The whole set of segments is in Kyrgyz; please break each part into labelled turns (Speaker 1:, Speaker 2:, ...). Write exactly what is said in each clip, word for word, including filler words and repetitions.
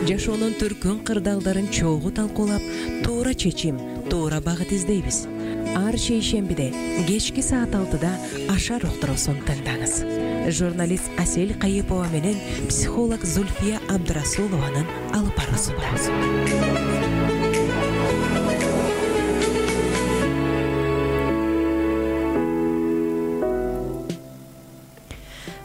Speaker 1: жашоонун түркүн кырдаалдарын чогуу талкуулап, туура чечим, туура багыт издейбиз. Ар шейшембиде кечки саат алтыда Ашар уктуруусун тыңдаңыз. Журналист Асель Кайыпова менен психолог Зульфия Абдрасулованын алып баруусу.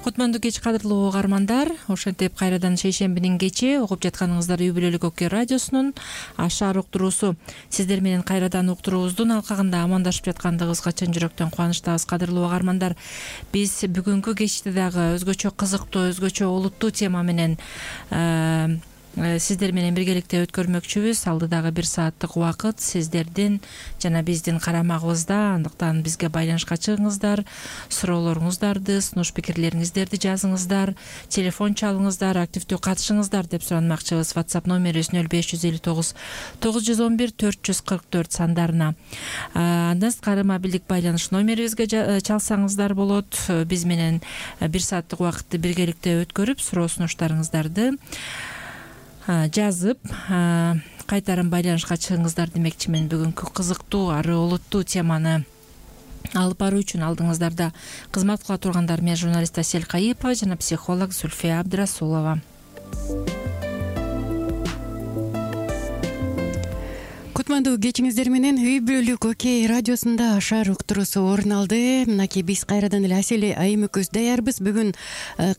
Speaker 2: Кутмандуу кеч кадырлуу угармандар, ошентип кайрадан шейшембинин кечи угуп жатканыңыздар Үй Бүлөлүк Оке радиосунун Ашар уктуруусу. Сиздер менен кайрадан уктуруубуздун алкагында амандашып жаткандыгыбызга чын жүрөктөн кубанычтабыз, кадырлуу угармандар. Биз бүгүнкү кечти дагы өзгөчө кызыктуу, өзгөчө олуттуу тема менен сиздер менен биргеликте өткөрмөкчүбүз. Алдыдагы бир сааттык убакыт сиздердин жана биздин карамагыбызда. Андыктан бизге байланышка чыгыңыздар, суроолоруңуздарды, сунуш пикирлериңиздерди жазыңыздар, телефон чалыңыздар, активдүү катышыңыздар деп суранмакчыбыз. WhatsApp номерибиз нөл беш жүз элүү тогуз тогуз жүз он бир төрт жүз кырк төрт сандарына. Андан сырткары мобилдик байланыш номерибизге чалсаңыздар болот. Биз менен бир сааттык убакытты биргеликте өткөрүп, суроо сунуштарыңыздарды жазып кайтарым байланышка чыгыңыздар демекчимин. Бүгүнкү кызыктуу, ары олуттуу теманы алып баруу үчүн алдыңыздарда кызмат кыла тургандар мен журналист Асель Кайыпова жана психолог Зульфия Абдрасулова.
Speaker 3: Кутмандуу кечиңиздер менен Үй Бүлөлүк Оке радиосунда Ашар уктуруусу орун алды. Мынакей биз кайрадан эле Асель айым экөөбүз даярбыз. Бүгүн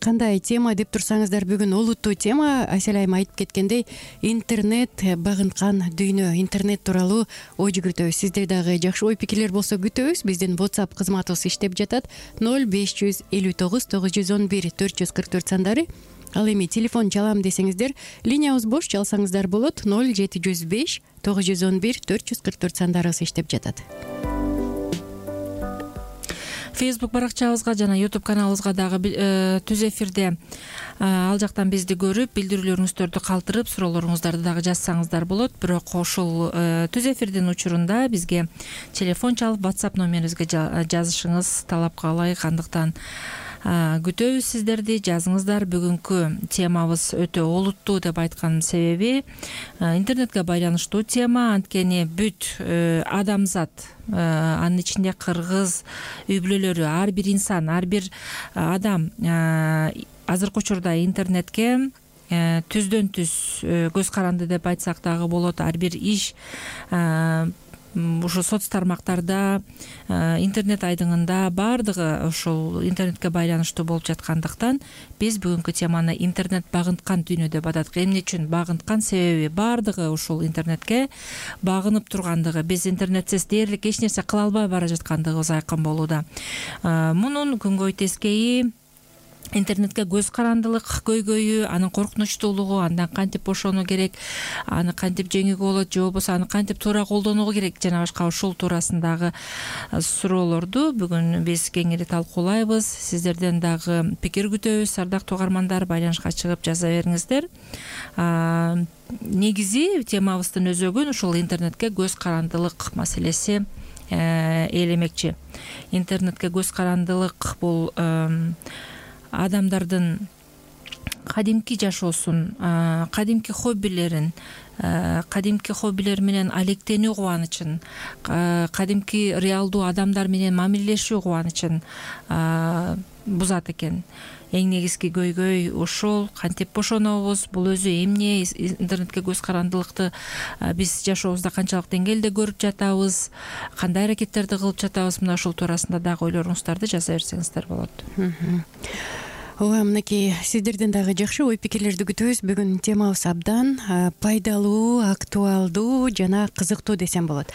Speaker 3: кандай тема деп турсаңыздар, бүгүн олуттуу тема. Асель айым айтып кеткендей, интернет багынткан дүйнө, интернет тууралуу ой жүгүртөбүз. Сизде дагы жакшы ой пикирлер болсо күтөбүз. Биздин WhatsApp кызматыбыз иштеп жатат. нөл беш жүз элүү тогуз тогуз жүз он бир төрт жүз кырк төрт сандары. Ал эми телефон чалам десеңиздер, линиябыз бош, чалсаңыздар болот. нөл жети жүз беш тогуз жүз он бир төрт жүз кырк төрт сандарыбыз иштеп жатат.
Speaker 2: Facebook баракчабызга жана YouTube каналыбызга дагы түз эфирде ал жактан бизди көрүп, билдирүүлөрүңүздөрдү калтырып, суроолоруңуздарды дагы жазсаңыздар болот. Бирок ошол түз эфирдин учурунда бизге телефон чалып, WhatsApp номерибизге жазышыңыз талапка ылайык. Андыктан күтөбүз сиздерди, жазыңыздар. Бүгүнкү темабыз өтө олуттуу деп айтканымдын себеби интернетке байланыштуу тема. Анткени бүт адамзат, анын ичинде кыргыз үй бүлөлөрү, ар бир инсан, ар бир адам азыркы учурда интернетке түздөн түз көз каранды деп айтсак дагы болот. Ар бир иш ушул соц тармактарда, интернет айдыңында баардыгы ушул интернетке байланыштуу болуп жаткандыктан биз бүгүнкү теманы интернет багынткан дүйнө деп атадык. Эмне үчүн багынткан? Себеби баардыгы ушул интернетке багынып тургандыгы, биз интернетсиз дээрлик эч нерсе кыла албай бара жаткандыгыбыз айкын болууда. Мунун күнгөй тескейи интернетке көз карандылык көйгөйү, анын коркунучтуулугу, андан кантип бошону керек, аны кантип жеңүүгө болот, же болбосо аны кантип туура колдонууга керек, жана башка ушул туурасындагы суроолорду бүгүн биз кеңири талкуулайбыз. Сиздерден дагы пикир күтөбүз, ардактуу угармандар. Байланышка чыгып жаза бериңиздер. Негизи темабыздын өзөгүн ушул интернетке көз карандылык маселеси ээлемекчи. Интернетке көз карандылык бул адамдардын кадимки жашоосун, кадимки хоббилерин, кадимки хоббилер менен алектенүү кубанычын, кадимки реалдуу адамдар менен мамилелешүү кубанычын бузат экен. Эң негизги көйгөй ушул. Кантип бошонобуз? Бул өзү эмне? Интернетке көз карандылыкты биз жашообузда канчалык деңгээлде көрүп жатабыз? Кандай аракеттерди кылып жатабыз? Мына ушул туурасында дагы ойлоруңуздарды жаза берсеңиздер болот.
Speaker 3: Ооба, мынакей сиздерден дагы жакшы ой пикирлерди күтөбүз. Бүгүн темабыз абдан пайдалуу, актуалдуу жана кызыктуу десем болот.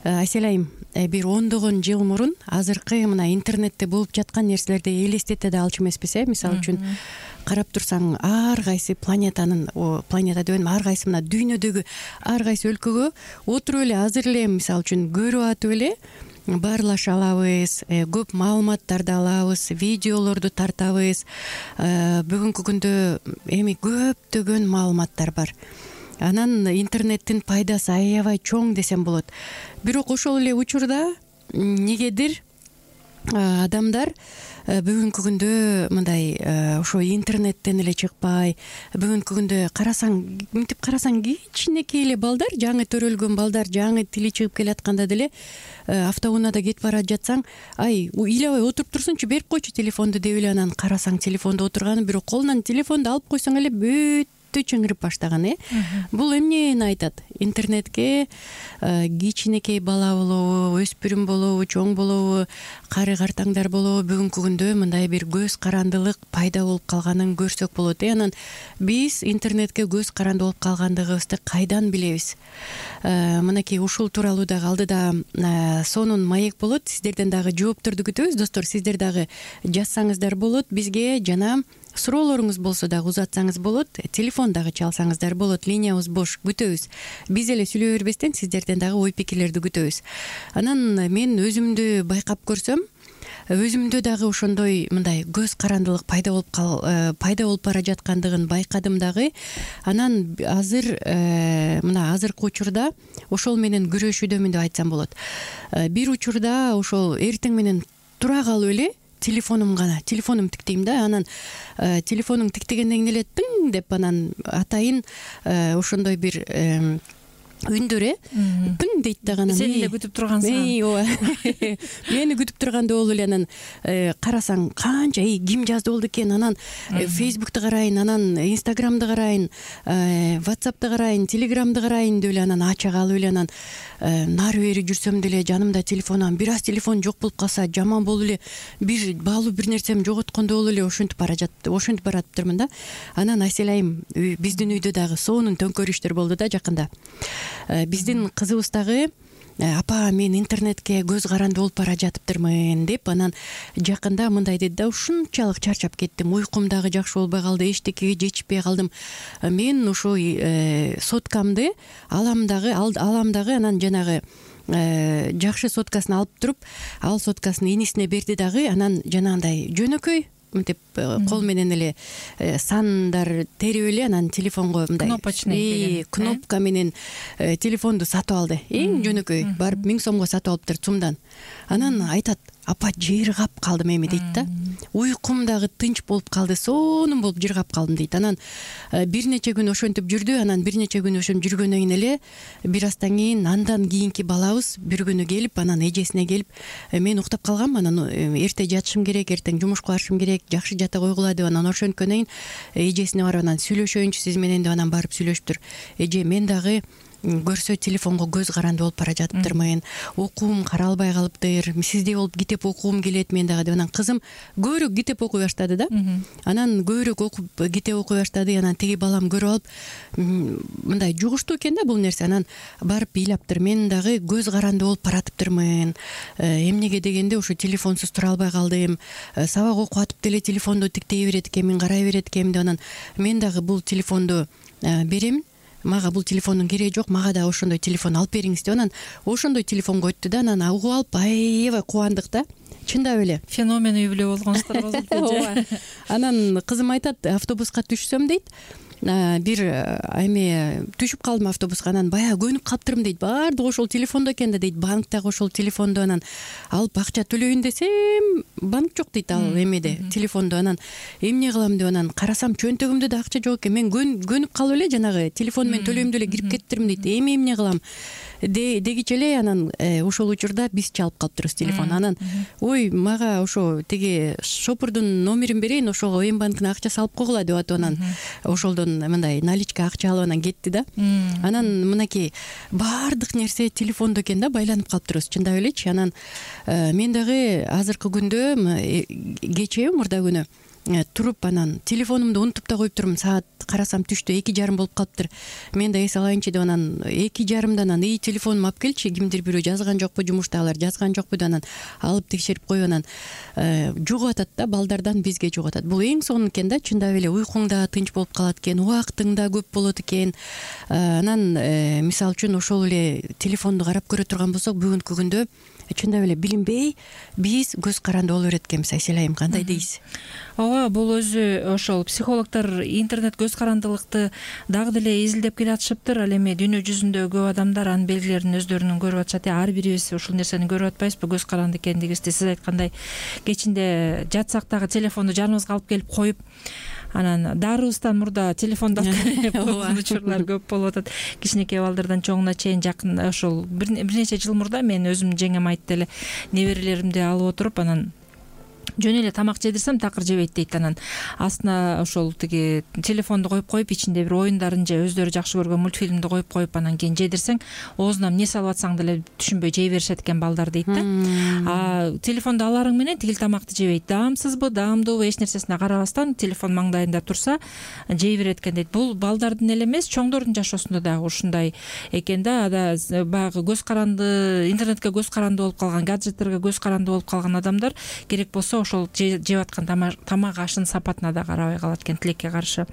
Speaker 3: Асель айым, бир ондогон жыл мурун азыркы мына интернетте болуп жаткан нерселерди элестете да алчу эмеспиз, э? Мисалы үчүн карап турсаң, ар кайсы планетанын, планета деп ар кайсы мына дүйнөдөгү ар кайсы өлкөгө отуруп эле азыр эле мисалы үчүн көрүп атып эле баарлаша алабыз, көп маалыматтарды алабыз, видеолорду тартабыз. Бүгүнкү күндө эми көптөгөн маалыматтар бар. Анан интернеттин пайдасы аябай чоң десем болот. Бирок ошол эле учурда негедир адамдар бүгүнкү күндө мындай ошо интернеттен эле чыкпай, бүгүнкү күндө карасаң, мынтип карасаң кичинекей эле балдар, жаңы төрөлгөн балдар, жаңы тили чыгып келатканда деле автоунаада кетип бара жатсаң, ай ыйлабай отуруп турсунчу, берип койчу телефонду деп эле анан карасаң телефондо отурганы, бирок колунан телефонду алып койсоң эле бүт чыңырып баштаган. э Бул эмнени айтат? Интернетке кичинекей бала болобу, өспүрүм болобу, чоң болобу, кары картаңдар болобу, бүгүнкү күндө мындай бир көз карандылык пайда болуп калганын көрсөк болот. э Анан биз интернетке көз каранды болуп калгандыгыбызды кайдан билебиз? Мынакей ушул тууралуу дагы алдыда сонун маек болот. Сиздерден дагы жоопторду күтөбүз, достор. Сиздер дагы жазсаңыздар болот бизге, жана суроолоруңуз болсо дагы узатсаңыз болот, телефон дагы чалсаңыздар болот. Линиябыз бош, күтөбүз. Биз эле сүйлөй бербестен сиздерден дагы ой пикирлерди күтөбүз. Анан мен өзүмдү байкап көрсөм, өзүмдө дагы ошондой мындай көз карандылык пайда болуп кал пайда болуп бара жаткандыгын байкадым дагы. Анан азыр мына азыркы учурда ошол менен күрөшүүдөмүн деп айтсам болот. Бир учурда ошол эртең менен тура калып эле телефонум гана, телефонум тиктейм да, анан телефонуң тиктегенден кийин эле тың деп анан атайын ошондой бир үндөр э пың дейт дагы, анан
Speaker 2: сени эле күтүп тургансың.
Speaker 3: ооба мени күтүп тургандай болуп эле анан карасаң канча ким жазды болду экен, анан фейсбукту карайын, анан инстаграмды карайын, ватсапты карайын, телеграмды карайын деп эле анан ача калып эле анан нары бери жүрсөм деле жанымда телефон, анан бир аз телефон жок болуп калса жаман болуп эле бир баалуу бир нерсем жоготкондой болуп эле ошентип бара жатты, ошентип баратыптырмын да. Анан Айсель айым биздин үйдө дагы сонун төңкөрүштөр болду да жакында. Биздин кызыбыз дагы апа мен интернетке көз каранды болуп бара жатыптырмын деп анан жакында мындай деди да, ушунчалык чарчап кеттим, уйкум дагы жакшы болбой калды, эчтекеге жетишпей калдым, мен ошо соткамды алам дагы алам дагы анан жанагы жакшы соткасын алып туруп, ал соткасын энисине берди дагы, анан жанагындай жөнөкөй мынтип кол менен эле сандар терип эле анан телефонго мындай
Speaker 2: кнопочный
Speaker 3: кнопка менен телефонду сатып алды. Эң жөнөкөй, барып миң сомго сатып алыптыр сумдан. Анан айтат, апа жыргап калдым эми дейт да. Уйкум дагы тынч болуп калды, сонун болуп жыргап калдым дейт. Анан бир нече күн ошентип жүрдү, анан бир нече күн ошентип жүргөндөн кийин эле бир аздан кийин андан кийинки балабыз бир күнү келип, анан эжесине келип, мен уктап калгам, анан эрте жатышым керек, эртең жумушка барышым керек, жакшы жата койгула деп анан ошенткөндөн кийин эжесине барып анан сүйлөшөйүнчү сиз менен деп анан барып сүйлөшүптүр. Эже, мен дагы көрсө телефонго көз каранды болуп бара жатыптырмын, окуум каралбай калыптыр, сиздей болуп китеп окугум келет мен дагы деп анан кызым көбүрөөк китеп окуй баштады да. Анан көбүрөөк окуп китеп окуй баштады, анан тиги балам көрүп алып мындай жугуштуу экен да бул нерсе, анан барып ыйлаптыр, мен дагы көз каранды болуп баратыптырмын, эмнеге дегенде ошо телефонсуз тура албай калдым, сабак окуп атып деле телефонду тиктей берет экенмин, карай берет экенмин деп анан мен дагы бул телефонду берем, мага бул телефондун кереги жок, мага да ошондой телефон алып бериңиз деп анан ошондой телефонго өттү да. Анан угуп алып аябай кубандык да, чындап эле
Speaker 2: феномен үй бүлө болгонсуздар болду.
Speaker 3: Анан кызым айтат, автобуска түшсөм дейт, бир эме түшүп калдым автобуска, анан баягы көнүп калыптырмын дейт, баардыгы ошол телефондо экен да дейт, банктагы ошол телефондо анан алып акча төлөйүн десем банк жок дейт ал эмеде телефондо, анан эмне кылам деп анан карасам чөнтөгүмдө да акча жок экен, мен көнүп калып эле жанагы телефон менен төлөйм деп эле кирип кетиптирмин дейт, эми эмне кылам дегиче эле анан ошол учурда биз чалып калыптырбыз телефон. Анан ой мага ошо тиги шопурдун номерин берейин, ошого эм банктын акча салып койгула деп атып анан ошолдон мындай наличка акча алып анан кетти да. Анан мынакей баардык нерсе телефондо экен да, байланып калыптырбыз чындап элечи. Анан мен дагы азыркы күндө кечээ мурда күнү туруп анан телефонумду унутуп да коюптурмун, саат карасам түштө эки жарым болуп калыптыр, мен да эс алайынчы деп анан эки жарымдан анан ии телефонумду алып келчи, кимдир бирөө жазган жокпу, жумуштагылар жазган жокпу деп анан алып текшерип коюп анан жугуп атат да, балдардан бизге жугуп атат. Бул эң сонун экен да, чындап эле уйкуң да тынч болуп калат экен, убактың да көп болот экен. Анан мисалы үчүн ошол эле телефонду карап көрө турган болсок, бүгүнкү күндө чындап эле билинбей биз көз каранды боло берет экенбиз. Айсель айым, кандай дейсиз?
Speaker 2: ооба, бул өзү ошол психологдор интернет көз карандылыкты дагы деле изилдеп келатышыптыр. Ал эми дүйнө жүзүндө көп адамдар анын белгилерин өздөрүнүн көрүп атышат. Ар бирибиз ушул нерсени көрүп атпайбызбы, көз каранды экендигибизди? Сиз айткандай кечинде жатсак дагы телефонду жаныбызга алып келип коюп, анан дарыбыздан мурда телефонду алып келип койгон учурлар көп болуп атат. Кичинекей балдардан чоңуна чейин жакын ошол бир нече жыл мурда мен өзүм жеңем айтты эле, неберелеримди алып отуруп, анан жөн эле тамак жедирсем такыр жебейт дейт. Анан астына ошол тиги телефонду коюп коюп, ичинде бир оюндарын же өздөрү жакшы көргөн мультфильмди коюп коюп, анан кийин жедирсең оозуна эмне салып атсаң деле түшүнбөй жей беришет экен балдар дейт да. А телефонду аларың менен тигил тамакты жебейт. Даамсызбы, даамдуубу, эч нерсесине карабастан телефон маңдайында турса жей берет экен дейт. Бул балдардын эле эмес, чоңдордун жашоосунда дагы ушундай экен да. Ада баягы көз каранды, интернетке көз каранды болуп калган, гаджеттерге көз каранды болуп калган адамдар керек болсо ошол жеп аткан тамак ашынын сапатына да карабай калат экен, тилекке каршы.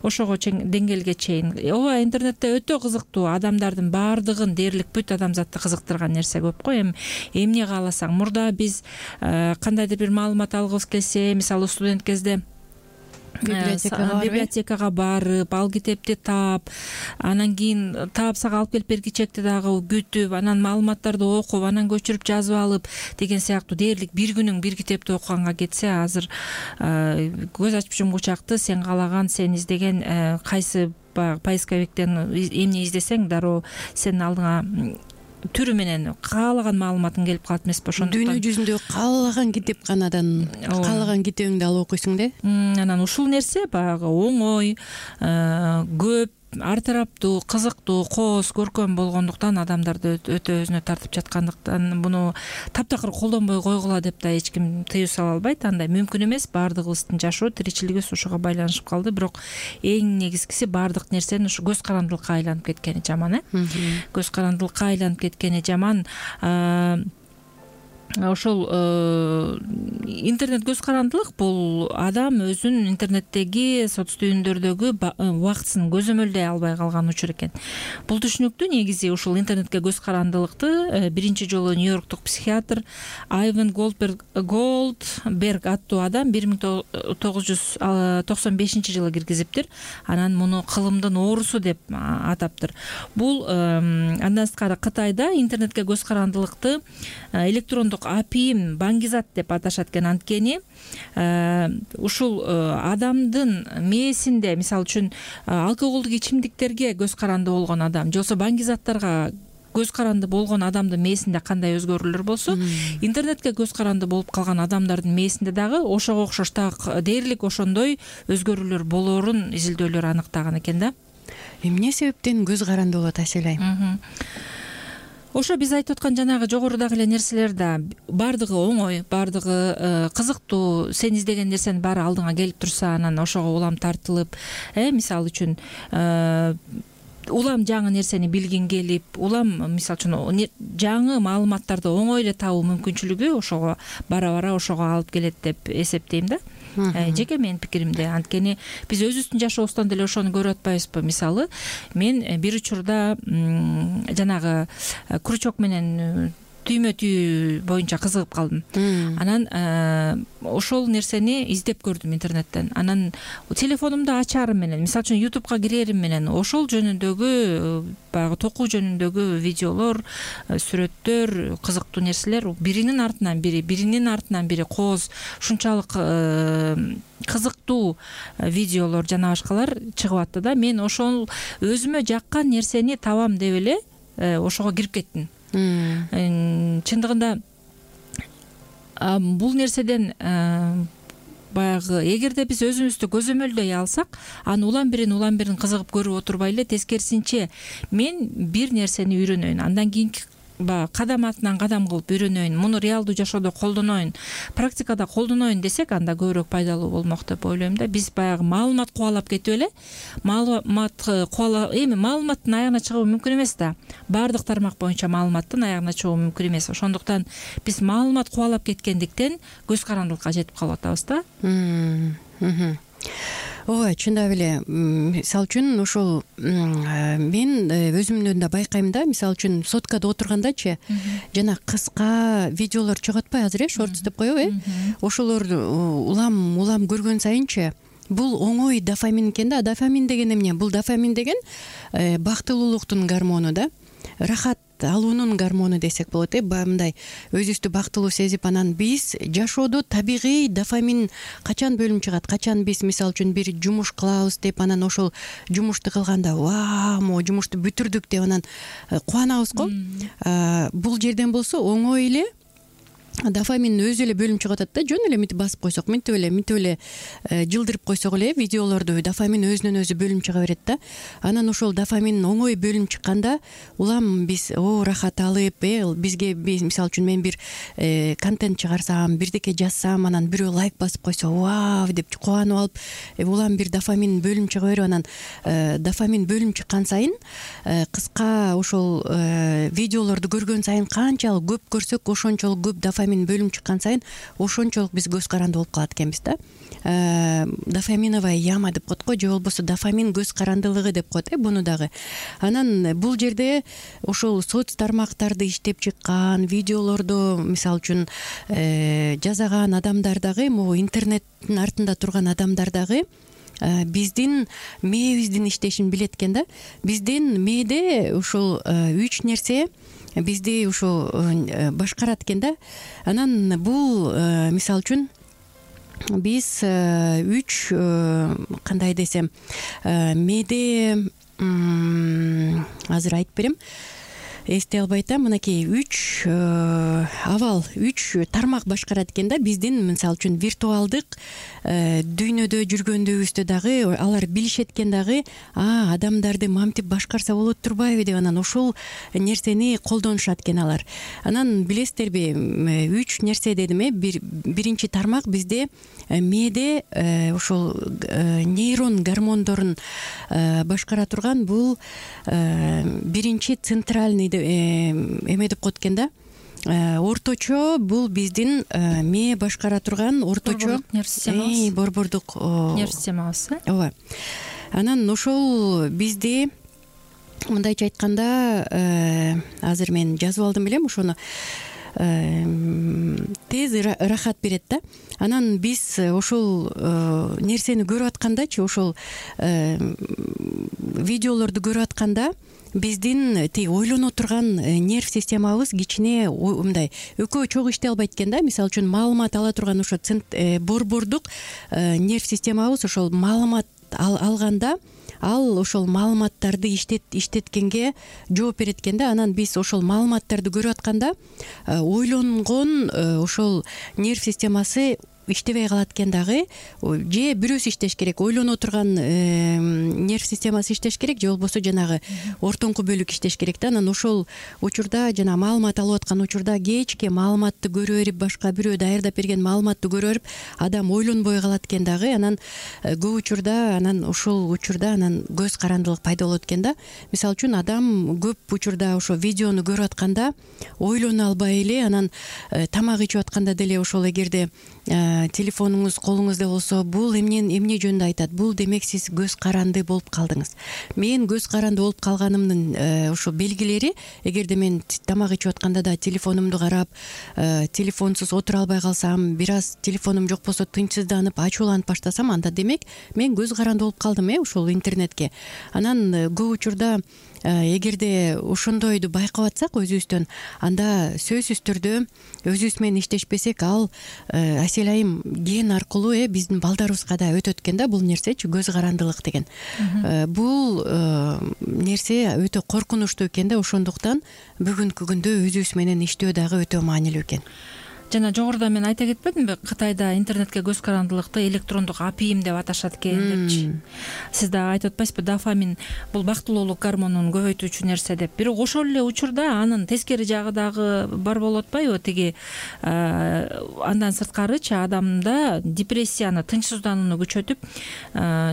Speaker 2: Ошого деңгээлге чейин. Ооба, интернетте өтө кызыктуу, адамдардын баардыгын дээрлик бүт адамзатты кызыктырган нерсе көп го. Эми эмне кааласаң, мурда биз кандайдыр бир маалымат алгыбыз келсе, мисалы студент кезде библиотекага барып, ал китепти таап, анан кийин таап сага алып келип бергичекти дагы күтүп, анан маалыматтарды окуп, анан көчүрүп жазып алып деген сыяктуу дээрлик бир күнүң бир китепти окуганга кетсе, азыр көз ачып жумгучакты сен каалаган, сен издеген кайсы поисковиктен эмне издесең дароо сенин алдыңа түрү менен каалаган маалыматың келип калат эмеспи? Ошондуктан
Speaker 3: дүйнө жүзүндө каалаган китепканадан каалаган китебиңди алып окуйсуң да.
Speaker 2: Анан ушул нерсе баягы оңой, көп, ар тараптуу, кызыктуу, кооз, көркөм болгондуктан адамдарды өтө өзүнө тартып жаткандыктан буну таптакыр колдонбой койгула деп да эч ким тыюу сала албайт. Андай мүмкүн эмес. Баардыгыбыздын жашоо, тиричилигибиз ушуга байланышып калды. Бирок эң негизгиси баардык нерсенин ушу көз карандылыкка айланып кеткени жаман, э? Көз карандылыкка айланып кеткени жаман. Ошол интернет көз карандылык бул адам өзүн интернеттеги соц түйүндөрдөгү убактысын көзөмөлдөй албай калган учур экен. Бул түшүнүктүү негизи ушул интернетке көз карандылыкты биринчи жолу Нью-Йорктук психиатр Айвен Голдберг аттуу адам бир миң тогуз жүз токсон бешинчи жылы киргизиптир. Анан муну кылымдын оорусу деп атаптыр. Бул андан сырткары Кытайда интернетке көз карандылыкты электрондук апийим, баңгизат деп аташат экен. Анткени ушул адамдын мээсинде, мисалы үчүн алкоголдук ичимдиктерге көз каранды болгон адам, жолсо баңгизаттарга көз каранды болгон адамдын мээсинде кандай өзгөрүүлөр болсо, интернетке көз каранды болуп калган адамдардын мээсинде дагы ошого окшош так дээрлик ошондой өзгөрүүлөр болоорун изилдөөлөр аныктаган экен да.
Speaker 3: Эмне себептен көз каранды болот, Айсель айым?
Speaker 2: Ошо биз айтып аткан жанагы жогорудагы эле нерселер да баардыгы оңой, баардыгы кызыктуу. Сен издеген нерсенин баары алдыңа келип турса, анан ошого улам тартылып, э мисалы үчүн улам жаңы нерсени билгиң келип, улам мисалы үчүн жаңы маалыматтарды оңой эле табуу мүмкүнчүлүгү ошого бара-бара ошого алып келет деп эсептейм да. Жеке менин пикиримде. Анткени биз өзүбүздүн жашообуздан деле ошону көрүп атпайбызбы? Мисалы, мен бир учурда жанагы крючок менен түймө түйүү боюнча кызыгып калдым. Анан ошол нерсени издеп көрдүм интернеттен. Анан телефонумду ачарым менен, мисалы үчүн ютубка кирерим менен ошол жөнүндөгү баягы токуу жөнүндөгү видеолор, сүрөттөр, кызыктуу нерселер биринин артынан бири, биринин артынан бири кооз, ушунчалык кызыктуу видеолор жана башкалар чыгып атты да. Мен ошол өзүмө жаккан нерсени табам деп эле ошого кирип кеттим. Чындыгында бул нерседен баягы эгерде биз өзүбүздү көзөмөлдөй алсак, аны улам бирин улам бирин кызыгып көрүп отурбай эле, тескерисинче мен бир нерсени үйрөнөйүн, андан кийинки баягы кадам артынан кадам кылып үйрөнөйүн, муну реалдуу жашоодо колдоноюн, практикада колдоноюн десек, анда көбүрөөк пайдалуу болмок деп ойлойм да. Биз баягы маалымат кубалап кетип эле, маалымат кубалап, эми маалыматтын аягына чыгуу мүмкүн эмес да. Баардык тармак боюнча маалыматтын аягына чыгуу мүмкүн эмес. Ошондуктан биз маалымат кубалап кеткендиктен көз карандылыкка жетип калып атабыз да.
Speaker 3: ооба, чындап эле. Мисалы үчүн ошол мен өзүмдөн да байкайм да, мисалы үчүн соткада отургандачы жана кыска видеолор чыгып атпайбы азыр, э шортс деп коебу, э ошолор улам улам көргөн сайынчы бул оңой дофамин экен да. Дофамин деген эмне? Бул дофамин деген бактылуулуктун гормону да, рахат алуунун гормону десек болот, э мындай өзүбүздү бактылуу сезип, анан биз жашоодо табигый дофамин качан бөлүнүп чыгат, качан биз мисалы үчүн бир жумуш кылабыз деп, анан ошол жумушту кылганда вау, могу жумушту бүтүрдүк деп анан кубанабыз го. Бул жерден болсо оңой эле дофамин өзү эле бөлүнүп чыгып атат да. Жөн эле мынтип басып койсок, мынтип эле мынтип эле жылдырып койсок эле видеолорду дофамин өзүнөн өзү бөлүнүп чыга берет да. Анан ошол дофамин оңой бөлүнүп чыкканда улам биз о рахат алып, э бизге мисалы үчүн мен бир контент чыгарсам, бирдеке жазсам, анан бирөө лайк басып койсо вау деп кубанып алып, улам бир дофамин бөлүнүп чыга берип, анан дофамин бөлүнүп чыккан сайын кыска ошол видеолорду көргөн сайын канчалык көп көрсөк, ошончолук көп дофамин бөлүнүп чыккан сайын ошончолук биз көз каранды болуп калат экенбиз да. Дофаминовая яма деп коет го, же болбосо дофамин көз карандылыгы деп коет, э буну дагы. Анан бул жерде ошол соц тармактарды иштеп чыккан, видеолорду мисалы үчүн жасаган адамдар дагы, могу интернеттин артында турган адамдар дагы биздин мээбиздин иштешин билет экен да. Биздин мээде ушул үч нерсе бизди ушу башкарат экен да. Анан бул мисалы үчүн биз үч кандай десем, мээде азыр айтып берем, эстей албай атам. Мынакей үч абал, үч тармак башкарат экен да биздин мисалы үчүн виртуалдык дүйнөдө жүргөндүгүбүздө дагы алар билишет экен дагы, а адамдарды мамтип башкарса болот турбайбы деп, анан ошол нерсени колдонушат экен алар. Анан билесиздерби, үч нерсе дедим, э биринчи тармак бизде мээде ошол нейрон гормондорун башкара турган бул биринчи центральный эме деп коет экен да. Орточо бул биздин мээ башкара турган орточо
Speaker 2: нерв системабыз,
Speaker 3: борбордук
Speaker 2: нерв системабыз.
Speaker 3: Ооба. Анан ошол бизде мындайча айтканда, азыр мен жазып алдым белем, ошону тез рахат берет да. Анан биз ошол нерсени көрүп аткандачы, ошол видеолорду көрүп атканда биздин тиги ойлоно турган нерв системабыз кичине мындай экөө чогуу иштей албайт экен да. Мисалы үчүн маалымат ала турган ошо борбордук нерв системабыз ошол маалымат алганда ал ошол маалыматтарды иштет иштеткенге жооп берет экен да. Анан биз ошол маалыматтарды көрүп атканда ойлонгон ошол нерв системасы иштебей калат экен дагы, же бирөөсү иштеш керек, ойлоно турган нерв системасы иштеш керек, же болбосо жанагы ортоңку бөлүк иштеш керек да. Анан ошол учурда жана маалымат алып аткан учурда кечке маалыматты көрө берип, башка бирөө даярдап берген маалыматты көрө берип, адам ойлонбой калат экен дагы. Анан көп учурда анан ошол учурда анан көз карандылык пайда болот экен да. Мисалы үчүн адам көп учурда ошо видеону көрүп атканда ойлоно албай эле, анан тамак ичип атканда деле ошол эгерде телефонуңуз колуңузда болсо, бул эмне эмне жөнүндө айтат, бул демек сиз көз каранды болуп калдыңыз. Мен көз каранды болуп калганымдын ошо белгилери, эгерде мен тамак ичип атканда да телефонумду карап, телефонсуз отура албай калсам, бир аз телефонум жок болсо тынчсызданып, ачууланып баштасам, анда демек мен көз каранды болуп калдым, э ушул интернетке. Анан көп учурда эгерде ошондойду байкап атсак өзүбүздөн, анда сөзсүз түрдө өзүбүз менен иштешпесек, ал Асель айым ген аркылуу э биздин балдарыбызга да өтөт экен да, бул нерсечи, көз карандылык деген. Бул нерсе өтө коркунучтуу экен да. Ошондуктан бүгүнкү күндө өзүбүз менен иштөө дагы өтө маанилүү экен.
Speaker 2: Жана жогоруда мен айта кетпедимби, Кытайда интернетке көз карандылыкты электрондук апийим деп аташат экен депчи. Сиз дагы айтып атпайсызбы, дофамин бул бактылуулук гормонун көбөйтүүчү нерсе деп. Бирок ошол эле учурда анын тескери жагы дагы бар болуп атпайбы? Тиги андан сырткарычы адамда депрессияны, тынчсызданууну күчөтүп,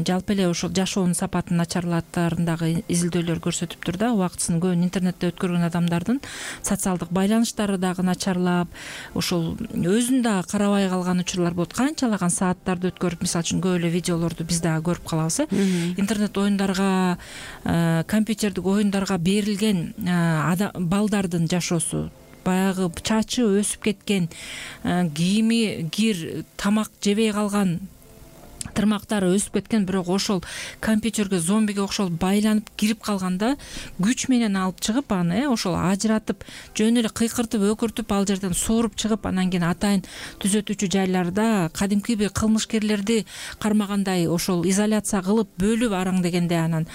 Speaker 2: жалпы эле ошол жашоонун сапатын начарлатарын дагы изилдөөлөр көрсөтүптүр да. Убактысын көбүн интернетте өткөргөн адамдардын социалдык байланыштары дагы начарлап, ошол ошол өзүн дагы карабай калган учурлар болот. Канчалаган сааттарды өткөрүп, мисалы үчүн көп эле видеолорду биз дагы көрүп калабыз э интернет оюндарга, компьютердик оюндарга берилген балдардын жашоосу, баягы чачы өсүп кеткен, кийими кир, тамак жебей калган, тырмактары өсүп кеткен, бирок ошол компьютерге зомбиге окшоп байланып кирип калганда күч менен алып чыгып аны э ошол ажыратып, жөн эле кыйкыртып, өкүртүп ал жерден сууруп чыгып, анан кийин атайын түзөтүүчү жайларда кадимки бир кылмышкерлерди кармагандай ошол изоляция кылып, бөлүп араң дегенде анан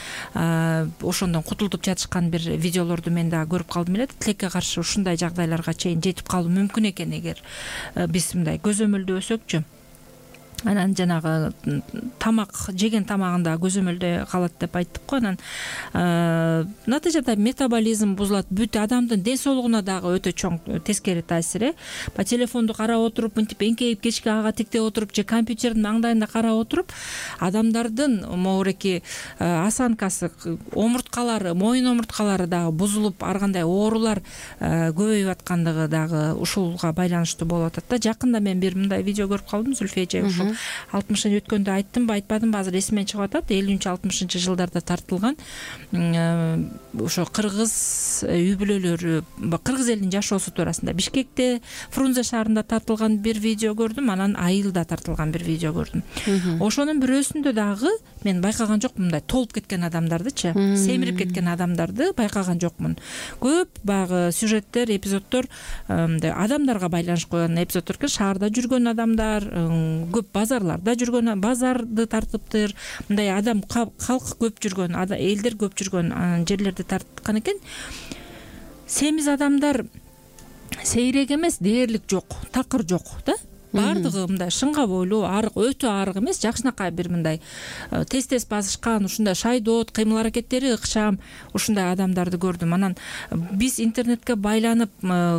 Speaker 2: ошондон кутултуп жатышкан бир видеолорду мен дагы көрүп калдым эле. Тилекке каршы ушундай жагдайларга чейин жетип калуу мүмкүн экен эгер биз мындай көзөмөлдөсөкчү. Анан жанагы тамак жеген тамагында көзөмөлдө калат деп айттык го. Анан натыйжада метаболизм бузулат, бүт адамдын ден соолугуна дагы өтө чоң тескери таасир э Ба телефонду карап отуруп, мынтип эңкейип кечке ага тиктеп отуруп же компьютердин маңдайында карап отуруп, адамдардын могуреки осанкасы, омурткалары, моюн омурткалары дагы бузулуп, ар кандай оорулар көбөйүп аткандыгы дагы ушулга байланыштуу болуп атат да. Жакында мен бир мындай видео көрүп калдым, Зүлфия эже, ушул алтымышын өткөндө айттымбы, айтпадымбы, азыр эсимден чыгып атат. элүүнчү алтымышынчы жылдарда тартылган ошо кыргыз үй бүлөлөрү, кыргыз элинин жашоосу туурасында Бишкекте, Фрунзе шаарында тартылган бир видео көрдүм, анан Айылда тартылган бир видео көрдүм. Ошонун бирөөсүндө дагы мен байкаган жокмун, мындай толуп кеткен адамдардычы, семирип кеткен адамдарды байкаган жокмун. Көп баягы сюжеттер, эпизоддор мындай адамдарга байланыш койгон эпизоддор экен. Шаарда жүргөн адамдар, көп базарларда жүргөн, базарды тартыптыр, мындай адам, калк көп жүргөн, элдер көп жүргөн жерлерди тарткан экен. Семиз адамдар сейрек эмес, дээрлик жок, такыр жок да. Бардыгы мындай шыңга бойлуу, арык, өтө арык эмес, жакшынакай бир мындай тез-тез басышкан, ушундай шайдоот, кыймыл аракеттери ыкчам, ушундай адамдарды көрдүм. Анан биз интернетке байланып,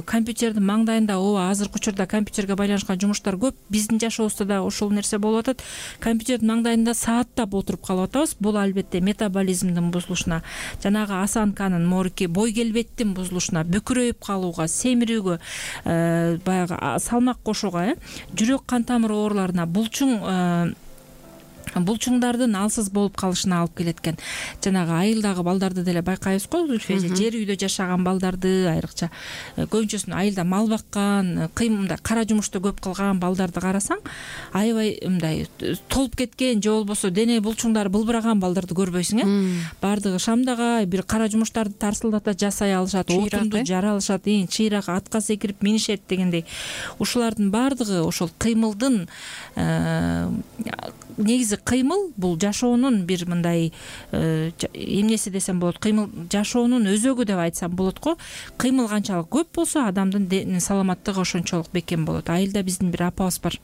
Speaker 2: компьютердин маңдайында, ооба, азыркы учурда компьютерге байланышкан жумуштар көп. Биздин жашообузда да ошол нерсе болуп атат. Компьютердин маңдайында сааттап отуруп калып атабыз. Бул албетте метаболизмдин бузулушуна, жанагы осанканын, морки, бой келбеттин бузулушуна, бөкүрөйүп калууга, семирүүгө, баягы салмак кошууга, э жүрөк кан тамыр ооруларына, булчуң булчуңдардын алсыз болуп калышына алып келет экен. Жанагы айылдагы балдарды деле байкайбыз го, Зүлфия эже, жер үйдө жашаган балдарды, айрыкча көбүнчөсүн айылда мал баккан, кыймында кара жумушту көп кылган балдарды карасаң, аябай мындай толуп кеткен же болбосо дене булчуңдары былбыраган балдарды көрбөйсүң э Бардыгы шамдагай бир кара жумуштарды тарсылдата жасай алышат, отунду жара алышат, чыйрак атка секирип минишет дегендей. Ушулардын бардыгы ошол кыймылдын негизи кыймыл бул жашоонун бир мындай эмнеси десем болот, кыймыл жашоонун өзөгү деп айтсам болот го. Кыймыл канчалык көп болсо, адамдын саламаттыгы ошончолук бекем болот. Айылда биздин бир апабыз бар.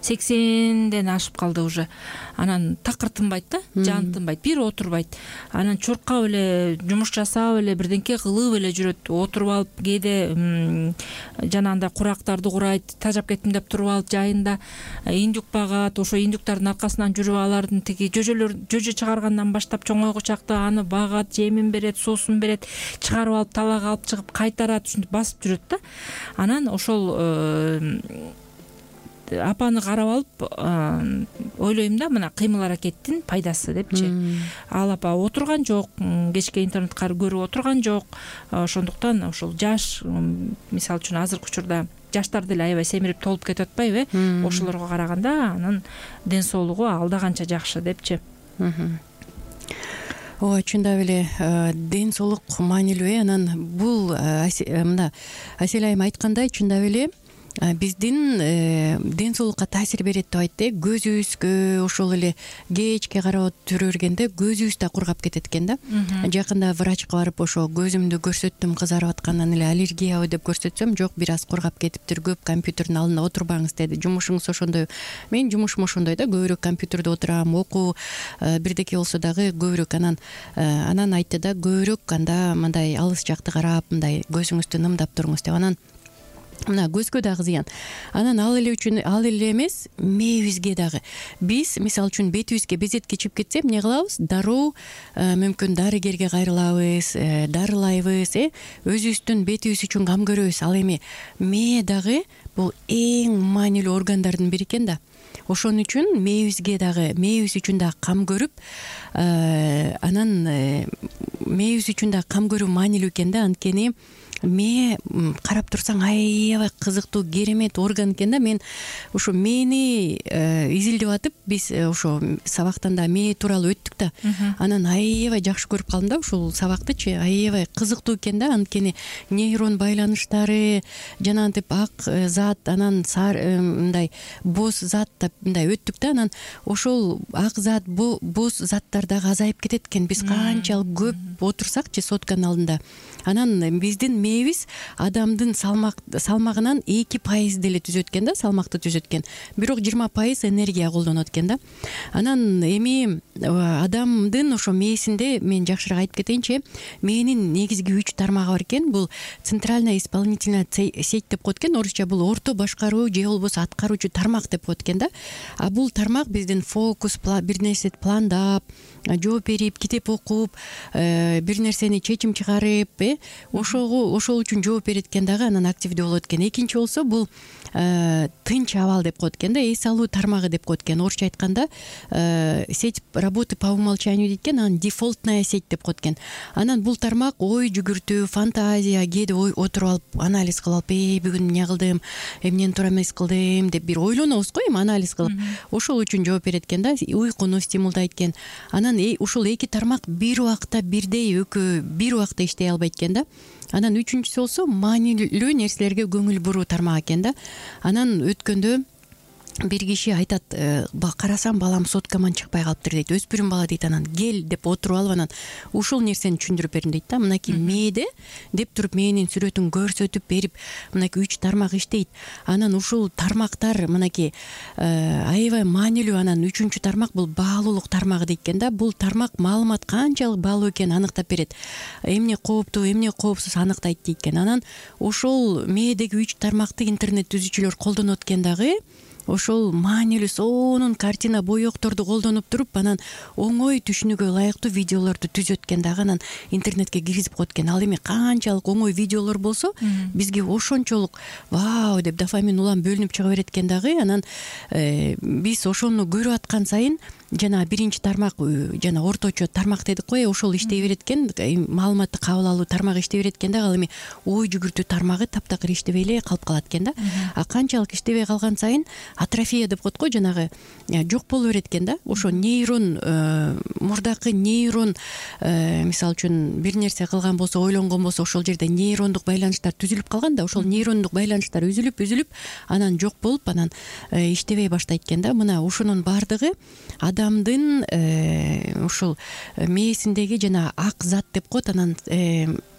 Speaker 2: сексенден ашып калды уже. Анан такыр тынбайт да, жан тынбайт, бир отурбайт. Анан чуркап эле, жумуш жасап эле, бирденке кылып эле жүрөт. Отуруп алып, кээде жанагындай курактарды курайт, тажап кеттим деп туруп алып жайында индюк багат, ошо индюктардын аркасынан жүрүп, алардын тиги жөжөлөр жөжө чыгаргандан баштап чоңойгу чакта аны багат, жемин берет, суусун берет, чыгарып алып талаага алып чыгып кайтарат, ушинтип басып жүрөт да. Анан ошол апаны карап алып ойлойм да, мына кыймыл аракеттин пайдасы депчи. Ал апа отурган жок, кечке интернет көрүп отурган жок. Ошондуктан ошол жаш, мисалы үчүн азыркы учурда жаштар деле аябай семирип толуп кетип атпайбы э Ошолорго караганда анын ден соолугу алда канча жакшы депчи.
Speaker 3: Ооба, чындап эле ден соолук маанилүү э Анан бул мына Асель айым айткандай, чындап эле биздин ден соолукка таасир берет деп айтты. Көзүбүзгө ошол эле кечке карап жүрө бергенде көзүбүз да кургап кетет экен да. Жакында врачка барып, ошо көзүмдү көрсөттүм, кызарып аткандан эле аллергиябы деп көрсөтсөм, жок, бир аз кургап кетиптир, көп компьютердин алдында отурбаңыз деди. Жумушуңуз ошондой. Мен жумушум ошондой да, көбүрөөк компьютерде отурам, окуу бирдеке болсо дагы көбүрөөк. Анан анан айтты да, көбүрөөк анда мындай алыс жакты карап, мындай көзүңүздү нымдап туруңуз деп. Анан мына көзгө дагы зыян. Анан ал эле үчүн ал эле эмес, мээбизге дагы. Биз мисалы үчүн бетибизге безетке чыгып кетсе эмне кылабыз? Дароо мүмкүн дарыгерге кайрылабыз, дарылайбыз, э өзүбүздүн бетибиз үчүн кам көрөбүз. Ал эми мээ дагы бул эң маанилүү органдардын бири экен да. Ошон үчүн мээбизге дагы, мээбиз үчүн дагы кам көрүп, анан мээбиз үчүн дагы кам көрүү маанилүү экен да. Анткени мээ карап турсаң аябай кызыктуу, керемет орган экен да. Мен ушу мээни изилдеп атып, биз ошо сабактан да мээ тууралуу өттүк да. Анан аябай жакшы көрүп калдым да ушул сабактычы. Аябай кызыктуу экен да. Анткени нейрон байланыштары, жанагынтип ак зат, анан мындай боз зат деп мындай өттүк да. Анан ошол ак зат, боз заттар дагы азайып кетет экен. Биз канчалык көп отурсакчы сотканын алдында. Анан биздин мээбиз адамдын салмак салмагынан эки пайыз деле түзөт экен да, салмакты түзөт экен. Бирок жыйырма пайыз энергия колдонот экен да. Анан эми адамдын ошо мээсинде мен жакшыраак айтып кетейинчи, мээнин негизги үч тармагы бар экен. Бул центральная исполнительная сеть деп коет экен. Орусча бул орто башкаруу же болбосо аткаруучу тармак деп коет экен да. А бул тармак биздин фокус, бир нерсе пландап, жооп берип, китеп окуп, бир нерсени чечим чыгарып, э ошого ошол үчүн жооп берет экен дагы, анан активдүү болот экен. Экинчи болсо бул тынч абал деп коет экен да, эс алуу тармагы деп коет экен. Орусча айтканда сеть работы по умолчанию дейт экен, анан дефолтная сеть деп коет экен. Анан бул тармак ой жүгүртүү, фантазия, кээде ой отуруп алып анализ кылып алып, э бүгүн эмне кылдым, эмнени туура эмес кылдым деп бир ойлонобуз го, эми анализ кылып. Ошол үчүн жооп берет экен да, уйкуну стимулдайт экен. Анан ушул эки тармак бир убакта бирдей экөө бир убакта иштей албайт экен да. Анан үчүнчүсү болсо маанилүү нерселерге көңүл буруу тармак экен да. Анан өткөндө бир киши айтат, карасам балам соткаман чыкпай калыптыр дейт. Өспүрүм бала дейт. Анан кел деп отуруп алып, анан ушул нерсени түшүндүрүп бердим дейт да. Мынакей мээде деп туруп мээнин сүрөтүн көрсөтүп берип, мынакей үч тармак иштейт. Анан ушул тармактар мынакей аябай маанилүү. Анан үчүнчү тармак бул баалуулук тармагы дейт экен да. Бул тармак маалымат канчалык баалуу экенин аныктап берет. Эмне кооптуу, эмне коопсуз аныктайт дейт экен. Анан ошол мээдеги үч тармакты интернет түзүүчүлөр колдонот экен дагы. Ошол маанилүү сонун картина, боекторду колдонуп туруп, анан оңой түшүнүүгө ылайыктуу видеолорду түзөт экен дагы, анан интернетке киргизип коет экен. Ал эми канчалык оңой видеолор болсо, бизге ошончолук вау деп дофамин улам бөлүнүп чыга берет экен дагы. Анан биз ошону көрүп аткан сайын жана биринчи тармак, жана орточо тармак дедик го, ошол иштей берет экен, маалыматты кабыл алуу тармагы иштей берет экен дагы. Ал эми ой жүгүртүү тармагы таптакыр иштебей эле калып калат экен да. А канчалык иштебей калган сайын атрофия деп коет го, жанагы жок боло берет экен да. Ошо нейрон, мурдакы нейрон, мисалы үчүн бир нерсе кылган болсо, ойлонгон болсо, ошол жерде нейрондук байланыштар түзүлүп калган да. Ошол нейрондук байланыштар үзүлүп үзүлүп анан жок болуп, анан иштебей баштайт экен да. Мына ушунун баардыгы адамдын ушул мээсиндеги жана ак зат деп коет, анан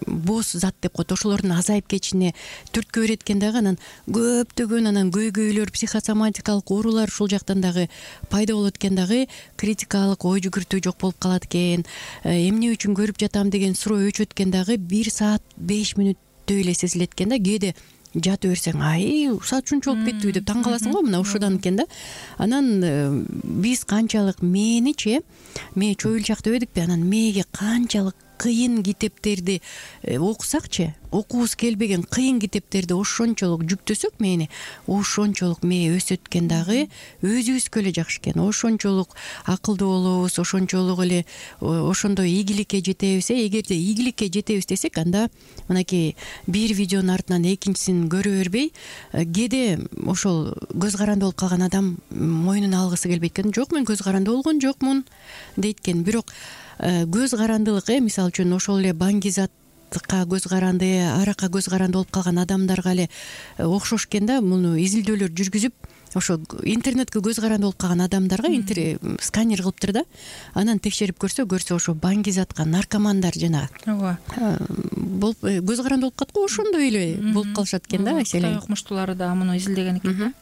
Speaker 3: боз зат деп коет, ошолордун азайып кетишине түрткү берет экен дагы. Анан көптөгөн анан көйгөйлөр, психосоматикалык оорулар ушул жактан дагы пайда болот экен дагы. Критикалык ой жүгүртүү жок болуп калат экен. Эмне үчүн көрүп жатам деген суроо өчөт экен дагы. бир саат беш мүнөттөй эле сезилет экен да. Кээде жатып берсең, ай, саат ушунча болуп кеттиби деп таң каласың го, мына ушудан экен да. Анан биз канчалык мээничи, мээ чоюлчак дебедикпи, анан мээге канчалык кыйын китептерди окусакчы, окуубуз келбеген кыйын китептерди ошончолук жүктөсөк мээни, ошончолук мээ өсөт экен дагы, өзүбүзгө эле жакшы экен. Ошончолук акылдуу болобуз, ошончолук эле ошондой ийгиликке жетебиз. Эгерде ийгиликке жетебиз десек, анда мынакей бир видеонун артынан экинчисин көрө бербей, кээде ошол көз каранды болуп калган адам мойнуна алгысы келбейт экен. Жок, мен көз каранды болгон жокмун дейт экен. Бирок көз карандылык, э мисалы үчүн ошол эле баңгизатка көз каранды, аракка көз каранды болуп калган адамдарга эле окшош экен да. Муну изилдөөлөр жүргүзүп, ошо интернетке көз каранды болуп калган адамдарга сканер кылыптыр да. Анан текшерип көрсө, көрсө ошо баңгизатка наркомандар жана ооба болуп көз каранды болуп калат го, ошондой эле болуп калышат экен да.
Speaker 2: Кытай окумуштуулары да муну изилдеген экен.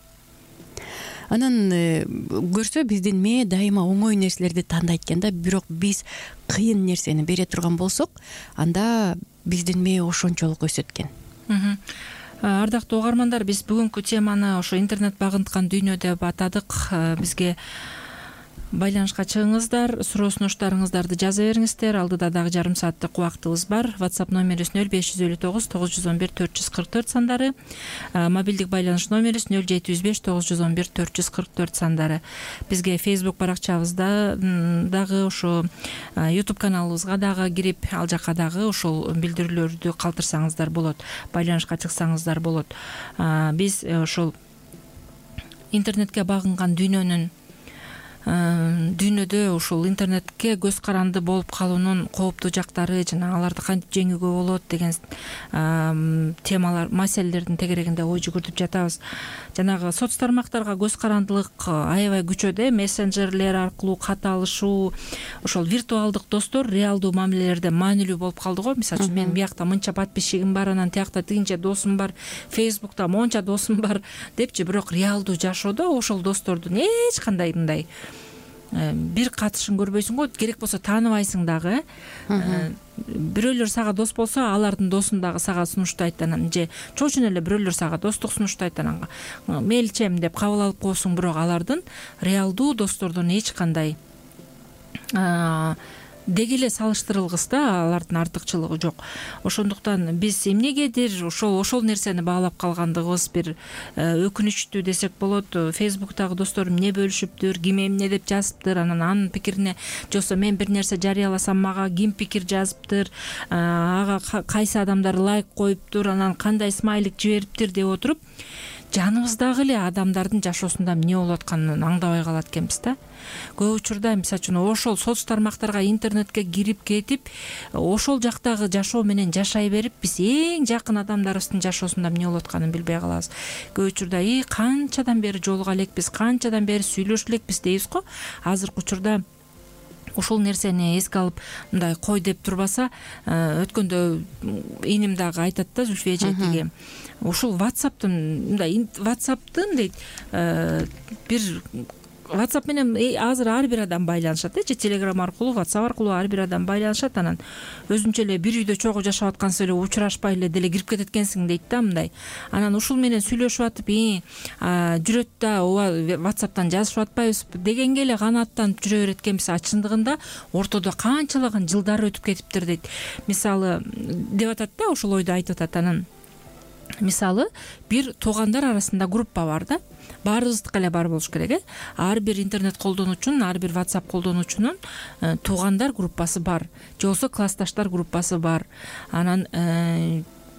Speaker 3: Анан көрсө, биздин мээ дайыма оңой нерселерди тандайт экен да. Бирок биз кыйын нерсени бере турган болсок, анда биздин мээ ошончолук өсөт экен.
Speaker 2: Ардактуу угармандар, биз бүгүнкү теманы ошо интернет багынткан дүйнө деп атадык. Бизге байланышка чыгыңыздар, суроо сунуштарыңыздарды жаза бериңиздер. Алдыда дагы жарым сааттык убактыбыз бар. WhatsApp номерибиз нөл беш жүз элүү тогуз тогуз жүз он бир төрт жүз кырк төрт сандары, мобилдик байланыш номерибиз нөл жети жүз беш тогуз жүз он бир төрт жүз кырк төрт сандары. Бизге Facebook баракчабызда дагы, ошо YouTube каналыбызга дагы кирип, ал жака дагы ошол билдирүүлөрдү калтырсаңыздар болот, байланышка чыксаңыздар болот. Биз ошол интернетке багынган дүйнөнүн дүйнөдө ушул интернетке көз каранды болуп калуунун кооптуу жактары жана аларды кантип жеңүүгө болот деген темалар, маселелердин тегерегинде ой жүгүртүп жатабыз. Жанагы соц тармактарга көз карандылык аябай күчөдө, мессенджерлер аркылуу кат алышуу, ошол виртуалдык достор реалдуу мамилелерде маанилүү болуп калды го. Мисалы үчүн мен биякта мынча подписчигим бар, анан тиякта тигинче досум бар, Facebook'та монча досум бар депчи, бирок реалдуу жашоодо ошол достордун эч кандай мындай бир катышын көрбөйсүң го, керек болсо тааныбайсың дагы. Бирөөлөр сага дос болсо, алардын досун дагы сага сунуштайт, анан же чоочун эле бирөөлөр сага достук сунуштайт, анан мейличем деп кабыл алып коесуң, бирок алардын реалдуу достордон эч кандай деги эле салыштырылгыс да, алардын артыкчылыгы жок. Ошондуктан биз эмнегедир ошол ошол нерсени баалап калгандыгыбыз бир өкүнүчтүү десек болот. Facebook'тагы досторум эмне бөлүшүптүр, ким эмне деп жазыптыр, анан анын пикирине жоксо мен бир нерсе жарыяласам мага ким пикир жазыптыр, ага кайсы адамдар лайк коюптур, анан кандай смайлик жибериптир деп отуруп, жаныбыздагы эле адамдардын жашоосунда эмне болуп атканын аңдабай калат экенбиз да. Көп учурда мисалы үчүн ошол соц тармактарга, интернетке кирип кетип, ошол жактагы жашоо менен жашай берип, биз эң жакын адамдарыбыздын жашоосунда эмне болуп атканын билбей калабыз. Көп учурда и канчадан бери жолуга элекпиз, канчадан бери сүйлөшө элекпиз дейбиз го. Азыркы учурда ошол нерсени эске алып мындай кой деп турбаса, өткөндө иним дагы айтат да, Зүлфия эжетиги. Ушул WhatsApp'тын мындай WhatsApp'тын дейт бир WhatsApp менен азыр ар бир адам байланышат, же Telegram аркылуу, WhatsApp аркылуу ар бир адам байланышат. Анан өзүнчө эле бир үйдө чогуу жашап аткансыз эле учурашпай эле деле кирип кетет экенсиң дейт да мындай. Анан ушул менен сүйлөшүп атып, жүрөт да, ооба WhatsApp'тан жазышып атпайбызбы дегенге эле канааттанып жүрө берет экенбиз. Чындыгында ортодо канчалаган жылдар өтүп кетиптир дейт. Мисалы деп атат да, ошол ойду айтып атат. Анан мисалы бир туугандар арасында группа бар да, баарыбыздыкы эле бар болуш керек, э ар бир интернет колдонуучунун, ар бир WhatsApp колдонуучунун туугандар группасы бар, же болбосо классташтар группасы бар. Анан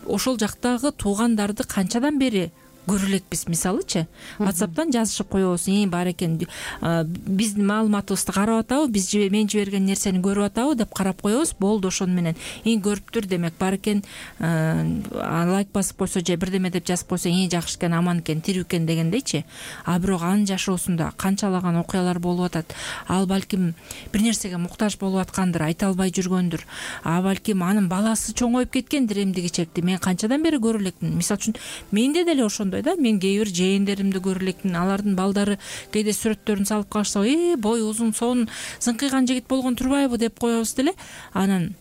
Speaker 2: ошол жактагы туугандарды канчадан бери көрө элекпиз, мисалычы WhatsApp'тан жазышып коебуз, и бар экен, биздин маалыматыбызды карап атабы, биз мен жиберген нерсени көрүп атабы деп карап коебуз, болду ошону менен. И көрүптүр, демек бар экен, лайк басып койсо же бирдеме деп жазып койсо, и жакшы экен, аман экен, тирүү экен дегендейчи. А бирок анын жашоосунда канчалаган окуялар болуп атат. Ал балким бир нерсеге муктаж болуп аткандыр, айта албай жүргөндүр. А балким анын баласы чоңоюп кеткендир эмдиги чекти. Мен канчадан бери көрө элекмин. Мисалы үчүн менде деле ошондой да, мен кээ бир жээндеримди көрө элекмин. Алардын балдары кээде сүрөттөрүн салып калышса, э бой узун, сонун, зыңкыйган жигит болгон турбайбы деп коебуз деле. Анан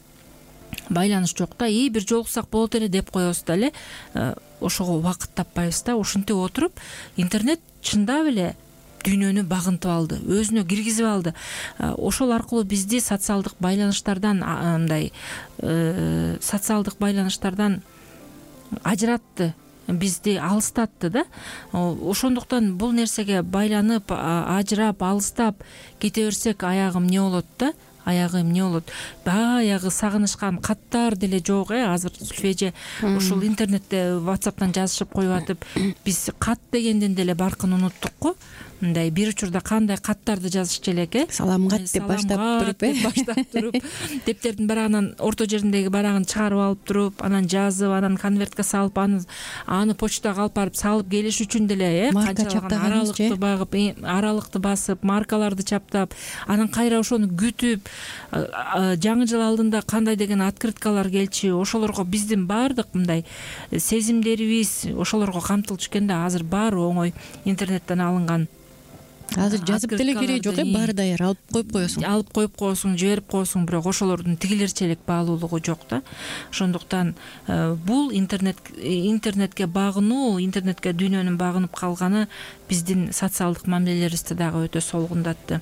Speaker 2: байланыш жок да, и бир жолуксак болот эле деп коебуз деле. Ошого убакыт таппайбыз да. Ушинтип отуруп интернет чындап эле дүйнөнү багынтып алды, өзүнө киргизип алды. Ошол аркылуу бизди социалдык байланыштардан мындай социалдык байланыштардан ажыратты, бизди алыстатты да. Ошондуктан бул нерсеге байланып, ажырап, алыстап кете берсек, аягы эмне болот да? Аягы эмне болот? Баягы сагынышкан каттар деле жок, э азыр Сүлфеже ушул интернетте WhatsApp'тан жазышып коюп атып, биз кат дегенден деле баркын унуттук го. Мындай бир учурда кандай каттарды жазышчу элек, э
Speaker 3: саламгат деп баштап туруп, э
Speaker 2: баштап туруп, дептердин барагынан орто жериндеги барагын чыгарып алып туруп, анан жазып, анан конвертке салып, аны аны почтага алып барып салып келиш үчүн деле, э канчалаган аралыкты багып, аралыкты басып, маркаларды чаптап, анан кайра ошону күтүп, жаңы жыл алдында кандай деген открыткалар келчү, ошолорго биздин баардык мындай сезимдерибиз ошолорго камтылчу экен да. Азыр баары оңой интернеттен алынган.
Speaker 3: азыр жазып деле кереги жок э, баары даяр, алып коюп коесуң
Speaker 2: алып коюп коесуң, жиберип коесуң, бирок ошолордун тигилерчелик баалуулугу жок да. Ошондуктан бул интернет интернетке багынуу, интернетке дүйнөнүн багынып калганы биздин социалдык мамилелерибизди дагы өтө солгундатты.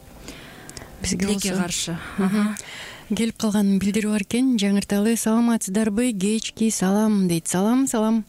Speaker 2: Бизге тилекке каршы
Speaker 3: келип калган билдирүү бар экен. Жаңырталы: саламатсыздарбы? Кечки салам дейт. Салам, салам.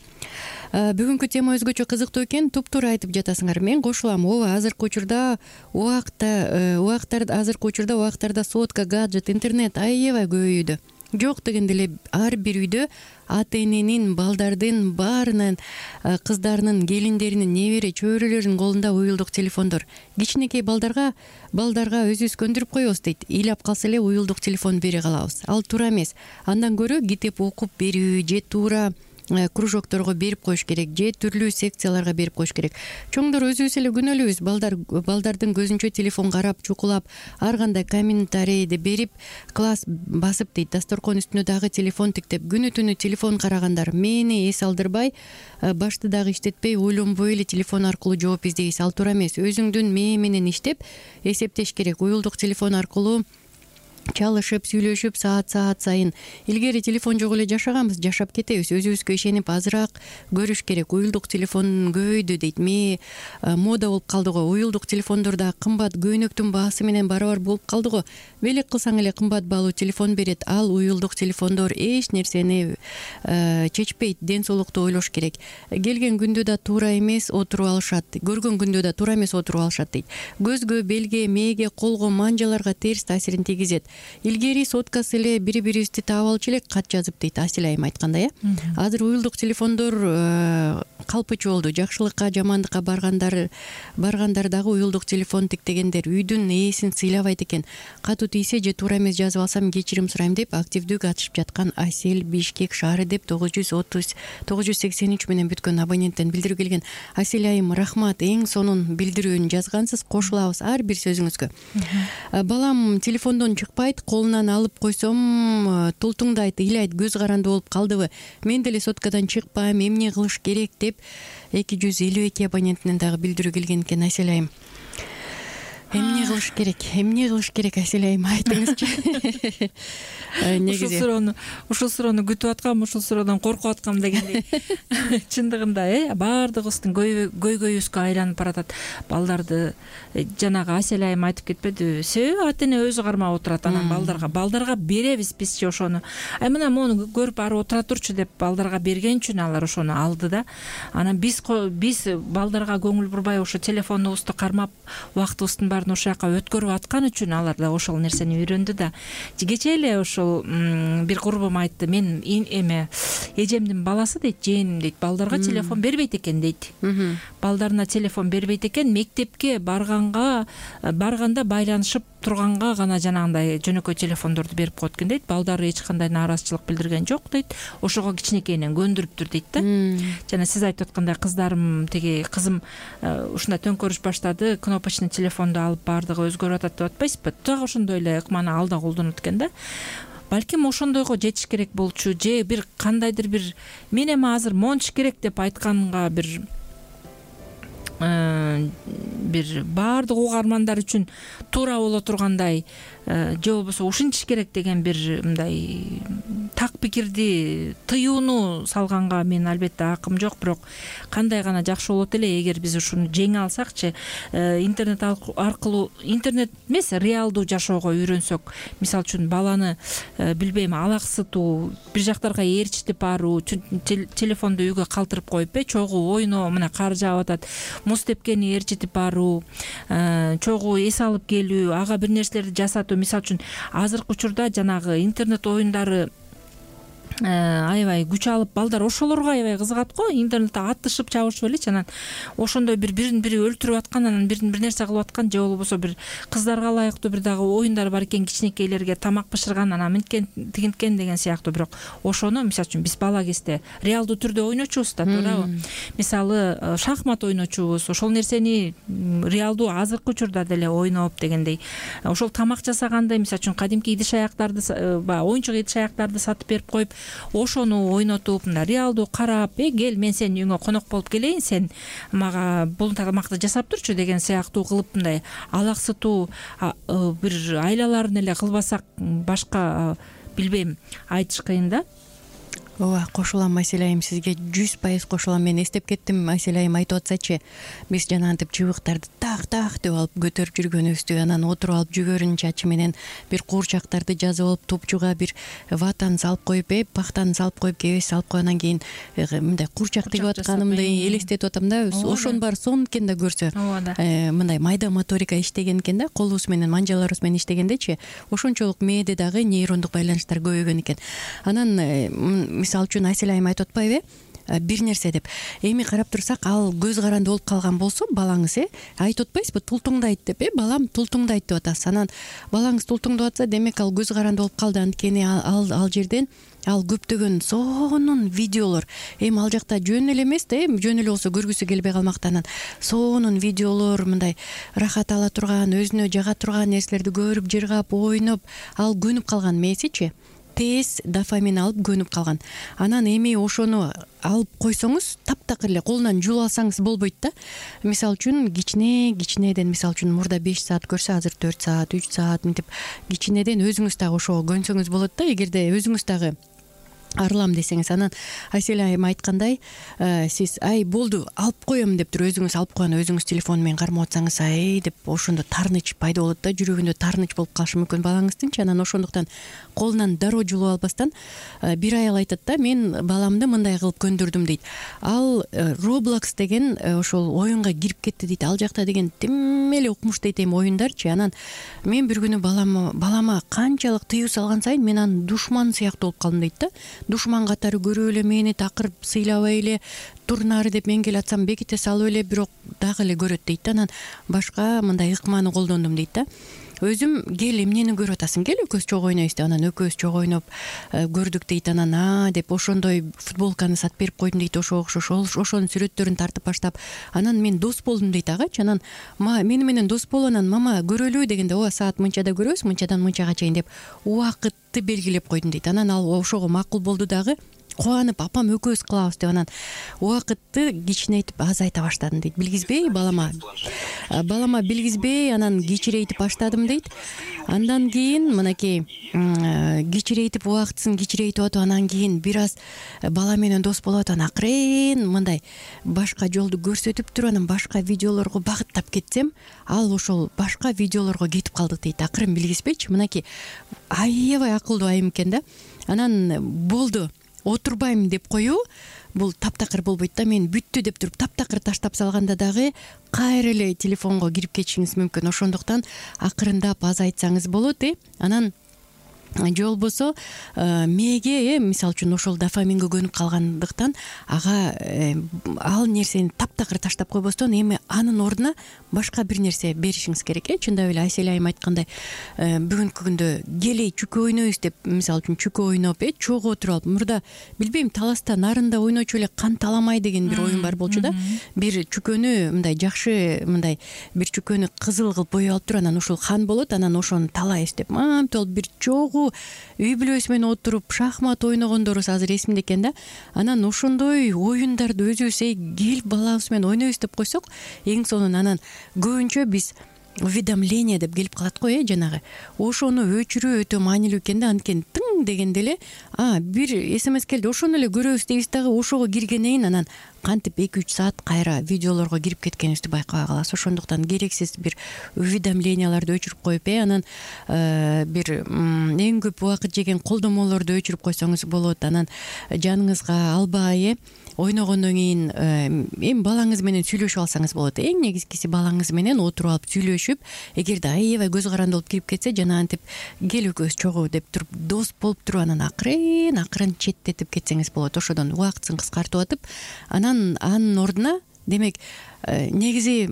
Speaker 3: Бүгүнкү тема өзгөчө кызыктуу экен. Туп-туура айтып жатасыңар. Мен кошулам. Ооба, азыркы учурда убакта убактарда азыркы учурда убактарда сотка, гаджет, интернет аябай көбөйүүдө. Жок дегенде эле ар бир үйдө ата эненин, балдардын баарынын, кыздарынын, келиндеринин, небере чөбөрөлөрүнүн колунда уюлдук телефондор. Кичинекей балдарга балдарга өзүбүз көндүрүп коебуз дейт. Ыйлап калса эле уюлдук телефон бере калабыз. Ал туура эмес. Андан көрө китеп окуп берүү же туура кружокторго берип коюш керек, же түрлүү секцияларга берип коюш керек. Чоңдор өзүбүз эле күнөөлүүбүз. Балдар балдардын көзүнчө телефон карап, чукулап, ар кандай комментарийди берип, класс басып дейт. Дасторкон үстүнө дагы телефон тиктеп, күнү түнү телефон карагандар мени эс алдырбай, башты дагы иштетпей, ойлонбой эле телефон аркылуу жооп издейбиз. Ал туура эмес. Өзүңдүн мээ менен иштеп, эсептеш керек. Уюлдук телефон аркылуу чалышып, сүйлөшүп, саат-саат сайын. Илгери телефон жок эле жашаганбыз, жашап кетебиз. Өзүбүзгө ишенип азыраак көрүш керек. Уюлдук телефон көбөйдү дейт. Ме мода болуп калды го. Уюлдук телефондорда кымбат көйнөктүн баасы менен барабар болуп калды го. Белек кылсаң эле кымбат баалуу телефон берет. Ал уюлдук телефондор эч нерсени чечпейт. Ден соолукту ойлош керек. Келген күндө да туура эмес отуруп алышат. Көргөн күндө да туура эмес отуруп алышат дейт. Көзгө, белге, мээге, колго, манжаларга терс таасирин тийгизет. Илгери соткасы эле бири-бирибизди таап алчу элек, кат жазып дейт Асель айым айткандай э. Азыр уюлдук телефондор калпычы болду. Жакшылыкка, жамандыкка баргандар баргандар дагы уюлдук телефон тиктегендер үйдүн ээсин сыйлабайт экен. Катуу тийсе же туура эмес жазып алсам кечирим сурайм деп активдүү катышып жаткан Асель, Бишкек шаары деп тогуз жүз отуз тогуз жүз сексен үч менен бүткөн абоненттен билдирүү келген. Асель айым, рахмат. Эң сонун билдирүүнү жазгансыз. Кошулабыз ар бир сөзүңүзгө. Балам телефондон чыкпай, колунан алып койсом тултуңдайт, ыйлайт, көз каранды болуп калдыбы, мен деле соткадан чыкпайм, эмне кылыш керек деп эки жүз элүү эки абонентинен дагы билдирүү келген экен. Асель айым, эмне кылыш керек, эмне кылыш керек Асель айым, айтыңызчы.
Speaker 2: Ушул суроону ушул суроону күтүп аткам, ушул суроодон коркуп аткам дегендей. Чындыгында э баардыгыбыздын көйгөйүбүзгө айланып баратат. Балдарды жанагы Асель айым айтып кетпедиби? Себеби ата эне өзү кармап отурат, анан балдарга балдарга беребиз бизчи ошону. Ай мына мону көрүп ары отура турчу деп балдарга берген үчүн алар ошону алды да. Анан биз биз балдарга көңүл бурбай ошо телефонубузду кармап, убактыбыздын баарын ошол жака өткөрүп аткан үчүн алар да ошол нерсени үйрөндү да. Кечээ эле ошол бир курбум айтты, мен эме эжемдин баласы дейт, жээним дейт, балдарга телефон бербейт экен дейт. Балдарына телефон бербейт экен, мектепке барганга барганда байланышып турганга гана жанагындай жөнөкөй телефондорду берип коет экен дейт. Балдары эч кандай нааразычылык билдирген жок дейт. Ошого кичинекейинен көндүрүптүр дейт да. Жана сиз айтып аткандай, кыздарым, теги кызым ушундай төңкөрүш баштады, кнопочный телефонду алып баардыгы өзгөрүп атат деп атпайсызбы? Так ошондой эле ыкманы ал да колдонот экен да. Балким ошондойго жетиш керек болчу, же бир кандайдыр бир мен эми азыр мончу керек деп айтканга бир бир баардык угармандар үчүн туура боло тургандай, же болбосо ушинтиш керек деген бир мындай так пикирди, тыюуну салганга мен албетте акым жок, бирок кандай гана жакшы болот эле эгер биз ушуну жеңе алсакчы, интернет аркылуу, интернет эмес, реалдуу жашоого үйрөнсөк. Мисалы үчүн баланы билбейм, алаксытуу, бир жактарга ээрчитип баруу, телефонду үйгө калтырып коюп, э чогуу ойноо, мына кар жаап атат, муз тепкени ээрчитип баруу, чогуу эс алып келүү, ага бир нерселерди жасатуу. Мисалы үчүн азыркы учурда жанагы интернет оюндары аябай күч алып, балдар ошолорго аябай кызыгат го. Интернетте атышып чабышып элечи, анан ошондой бир бирин бири өлтүрүп аткан, анан бирин бир нерсе кылып аткан, же болбосо бир кыздарга ылайыктуу бир дагы оюндар бар экен, кичинекейлерге тамак бышырган, анан мынткен тигинткен деген сыяктуу. Бирок ошону мисалы үчүн биз бала кезде реалдуу түрдө ойночубуз да, туурабы? Мисалы шахмат ойночубуз, ошол нерсени реалдуу азыркы учурда деле ойноп дегендей. Ошол тамак жасаганда мисалы үчүн кадимки идиш аяктарды, баягы оюнчук идиш аяктарды сатып берип коюп, ошону ойнотуп мына реалдуу карап, э кел мен сенин үйүңө конок болуп келейин, сен мага бул тамакты жасап турчу деген сыяктуу кылып мындай алаксытуу бир айлаларын эле кылбасак башка билбейм, айтыш кыйын да.
Speaker 3: ооба, кошулам Айсель айым, сизге жүз пайыз кошулам. Мен эстеп кеттим, Айсель айым айтып атсачы, биз жанагынтип чыбыктарды так так деп алып көтөрүп жүргөнүбүздү, анан отуруп алып жүгөрүн чачы менен бир куурчактарды жазып алып топчуга бир ватаны салып коюп, э пахтаны салып коюп, кебес салып коюп, анан кийин мындай куурчак тигип атканымды элестетип атам да. Ошонун баары сонун экен да көрсө. Мындай майда моторика иштеген экен да, колубуз менен, манжаларыбыз менен иштегендечи, ошончолук мээде дагы нейрондук байланыштар көбөйгөн экен. Анан мисалы үчүн Айсель айым айтып атпайбы, бир нерсе деп эми карап турсак, ал көз каранды болуп калган болсо балаңыз, э айтып атпайсызбы, тултуңдайт деп, э балам тултуңдайт деп атасыз. Анан балаңыз тултуңдап атса, демек ал көз каранды болуп калды. Анткени ал ал жерден ал көптөгөн сонун видеолор, эми ал жакта жөн эле эмес да, эми жөн эле болсо көргүсү келбей калмактан сонун видеолор, мындай рахат ала турган, өзүнө жага турган нерселерди көрүп, жыргап, ойноп, ал көнүп калган мээсичи, тез дофамин алып көнүп калган. Анан эми ошону алып койсоңуз, таптакыр эле колунан жулуп алсаңыз болбойт да. Мисалы үчүн кичине кичинеден, мисалы үчүн мурда беш саат көрсө, азыр төрт саат, үч саат мынтип кичинеден өзүңүз дагы ошого көнсөңүз болот да, эгерде өзүңүз дагы арылам десеңиз. Анан Айсель айым айткандай, сиз ай болду алып коем деп туруп өзүңүз алып койгон, өзүңүз телефон менен кармап атсаңыз, ай деп ошондо таарыныч пайда болот да, жүрөгүндө таарыныч болуп калышы мүмкүн балаңыздыңчы. Анан ошондуктан колунан дароо жулуп албастан, бир аял айтат да, мен баламды мындай кылып көндүрдүм дейт. Ал Roblox деген ошол оюнга кирип кетти дейт. Ал жакта деген тим эле укмуш дейт эми оюндарчы. Анан мен бир күнү балама балама канчалык тыюу салган сайын мен анын душманы сыяктуу болуп калдым дейт да. Душман катары көрүп эле мени такыр сыйлабай эле турнары деп мен келе атсам беките салып эле, бирок дагы эле көрөт дейт. Анан башка мындай ыкманы колдондум дейт да. Өзүм кел эмнени көрүп атасың, кел экөөбүз чогуу ойнойбуз деп, анан экөөбүз чогуу ойноп көрдүк дейт. Анан а деп ошондой футболканы сатып берип койдум дейт, ошого окшош ошонун сүрөттөрүн тартып баштап, анан мен дос болдум дейт агачы. Анан мени менен дос болуп, анан мама көрөлүбү дегенде, ооба саат мынчада көрөбүз, мынчадан мынчага чейин деп убакытты белгилеп койдум дейт. Анан ал ошого макул болду дагы, кубанып апам экөөбүз кылабыз деп, анан убакытты кичинейтип азайта баштадым дейт. Билгизбей балама балама билгизбей анан кичирейтип баштадым дейт. Андан кийин мынакей кичирейтип убактысын кичирейтип атып, анан кийин бир аз бала менен дос болуп атып, анан акырын мындай башка жолду көрсөтүп туруп, анан башка видеолорго багыттап кетсем, ал ошол башка видеолорго кетип калдык дейт. Акырын билгизбейчи, мынакей аябай акылдуу айым экен да. Анан болду, отурбайм деп коюу бул таптакыр болбойт да. Мен бүттү деп туруп таптакыр таштап салганда дагы кайра эле телефонго кирип кетишиңиз мүмкүн. Ошондуктан акырындап азайтсаңыз болот, э анан же болбосо мээге, э мисалы үчүн ошол дофаминге көнүп калгандыктан ага ал нерсени таптакыр таштап койбостон эми анын ордуна башка бир нерсе беришиңиз керек, э чындап эле Айсель айым айткандай, бүгүнкү күндө келей чүкө ойнойбуз деп, мисалы үчүн чүкө ойноп, э чогуу отуруп алып, мурда билбейм таласта нарында ойночу эле кан таламай деген бир оюн бар болчу да. Бир чүкөнү мындай жакшы, мындай бир чүкөнү кызыл кылып боеп алып туруп, анан ошол хан болот, анан ошону талайбыз деп мамт болуп бир чогуу үй бүлөбүз менен отуруп шахмат ойногондорубуз азыр эсимде экен да. Анан ошондой оюндарды өзүбүз эй кел балабыз менен ойнойбуз деп койсок, эң сонун анан көбүнчө биз уведомление деп келип калат го, э жанагы ошону өчүрүү өтө маанилүү экен да. Анткени тың дегенде эле а бир смс келди, ошону эле көрөбүз дейбиз дагы, ошого киргенден кийин анан кантип эки үч саат кайра видеолорго кирип кеткенибизди байкабай калабыз. Ошондуктан керексиз бир уведомленияларды өчүрүп коюп, э анан бир эң көп убакыт жеген колдомолорду өчүрүп койсоңуз болот. Анан жаныңызга албай, э ойногондон кийин эми балаңыз менен сүйлөшүп алсаңыз болот. Эң негизгиси балаңыз менен отуруп алып сүйлөшүп, эгерде аябай көз каранды болуп кирип кетсе, жанагынтип кел экөөбүз чогуу деп туруп дос болуп туруп, анан акырын акырын четтетип кетсеңиз болот. Ошодон убактысын кыскартып атып, анан анын ордуна, демек негизи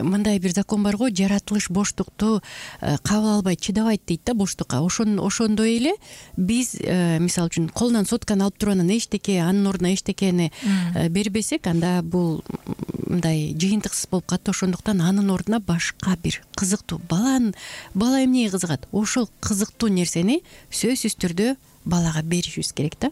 Speaker 3: мындай бир закон бар го, жаратылыш боштукту кабыл албайт, чыдабайт дейт да боштукка. Ошон ошондой эле биз мисалы үчүн колунан сотканы алып туруп анан эчтеке анын ордуна эчтекени бербесек, анда бул мындай жыйынтыксыз болуп калат. Ошондуктан анын ордуна башка бир кызыктуу, баланын бала эмнеге кызыгат, ошол кызыктуу нерсени сөзсүз түрдө балага беришибиз керек да.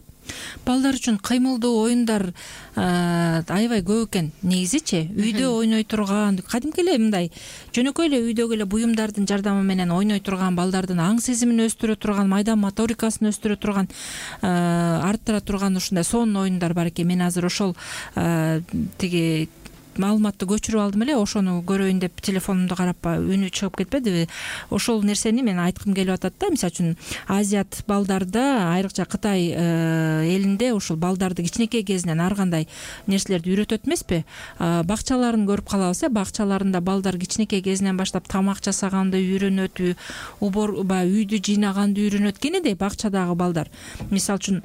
Speaker 2: Балдар үчүн кыймылдуу оюндар аябай көп экен негизичи. Үйдө ойной турган, кадимки эле мындай жөнөкөй эле үйдөгү эле буюмдардын жардамы менен ойной турган, балдардын аң сезимин өстүрө турган, майда моторикасын өстүрө турган, арттыра турган ушундай сонун оюндар бар экен. Мен азыр ошол тиги маалыматты көчүрүп алдым эле, ошону көрөйүн деп телефонумду карап үнү чыгып кетпедиби. Ошол нерсени мен айткым келип атат да. Мисалы үчүн азиат балдарда, айрыкча Кытай элинде ушул балдарды кичинекей кезинен ар кандай нерселерди үйрөтөт эмеспи? Бакчаларын көрүп калабыз, э, бакчаларында балдар кичинекей кезинен баштап тамак жасаганды үйрөнөт, убор баягы үйдү жыйнаганды үйрөнөт. Кенедей бакчадагы балдар. Мисалы үчүн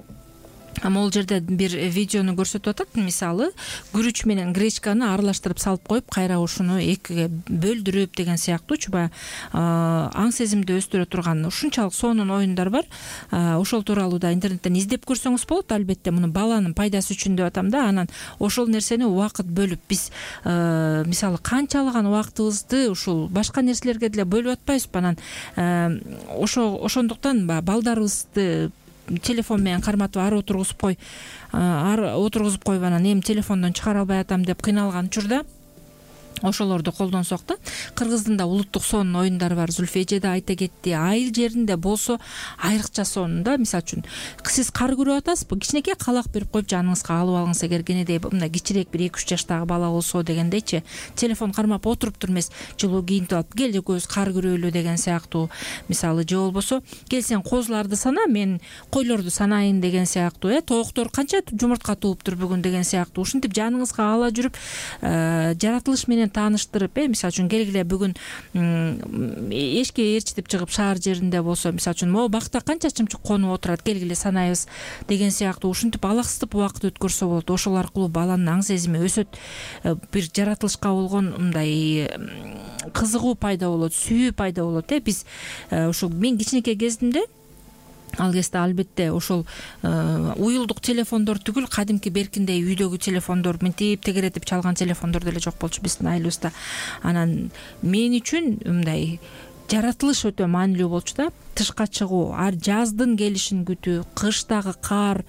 Speaker 2: могул жерде бир видеону көрсөтүп атат. Мисалы, күрүч менен гречканы аралаштырып салып коюп, кайра ушуну экиге бөлдүрүп деген сыяктуучу баягы аң сезимди өстүрө турган ушунчалык сонун оюндар бар. Ошол тууралуу да интернеттен издеп көрсөңүз болот. Албетте муну баланын пайдасы үчүн деп атам да. Анан ошол нерсени убакыт бөлүп биз мисалы канчалаган убактыбызды ушул башка нерселерге деле бөлүп атпайбызбы? Анан ошо ошондуктан балдарыбызды телефон менен карматып ары отургузуп кой, ары отургузуп коюп анан эми телефондон чыгара албай атам деп кыйналган учурда ошолорду колдонсок да. Кыргыздын да улуттук сонун оюндары бар. Зульфия эже да айта кетти. Айыл жеринде болсо айрыкча сонун да. Мисалы үчүн сиз кар көрүп атасызбы? Кичинекей калак берип коюп жаныңызга алып алыңыз, эгер кенедей мындай кичирээк бир эки үч жаштагы бала болсо дегендейчи. Телефон кармап отуруптур эмес, жылуу кийинтип алып кел экөөбүз кар көрөлү деген сыяктуу. Мисалы же болбосо кел сен козуларды сана, мен койлорду санайын деген сыяктуу. Э тооктор канча жумуртка тууптур бүгүн деген сыяктуу. Ушинтип жаныңызга ала жүрүп жаратылыш менен тааныштырып, э мисалы үчүн келгиле бүгүн эшикке ээрчитип чыгып шаар жеринде болсо, мисалы үчүн могу бакта канча чымчык конуп отурат, келгиле санайбыз деген сыяктуу. Ушинтип алаксытып убакыт өткөрсө болот. Ошол аркылуу баланын аң сезими өсөт, бир жаратылышка болгон мындай кызыгуу пайда болот, сүйүү пайда болот. Э биз ушул мен кичинекей кезимде ал кезде албетте ошол уюлдук телефондор түгүл, кадимки беркиндей үйдөгү телефондор, мынтип тегеретип чалган телефондор деле жок болчу биздин айылыбызда. Анан мен үчүн мындай жаратылыш өтө маанилүү болчу да. Тышка чыгуу, ар жаздын келишин күтүү, кыштагы кар,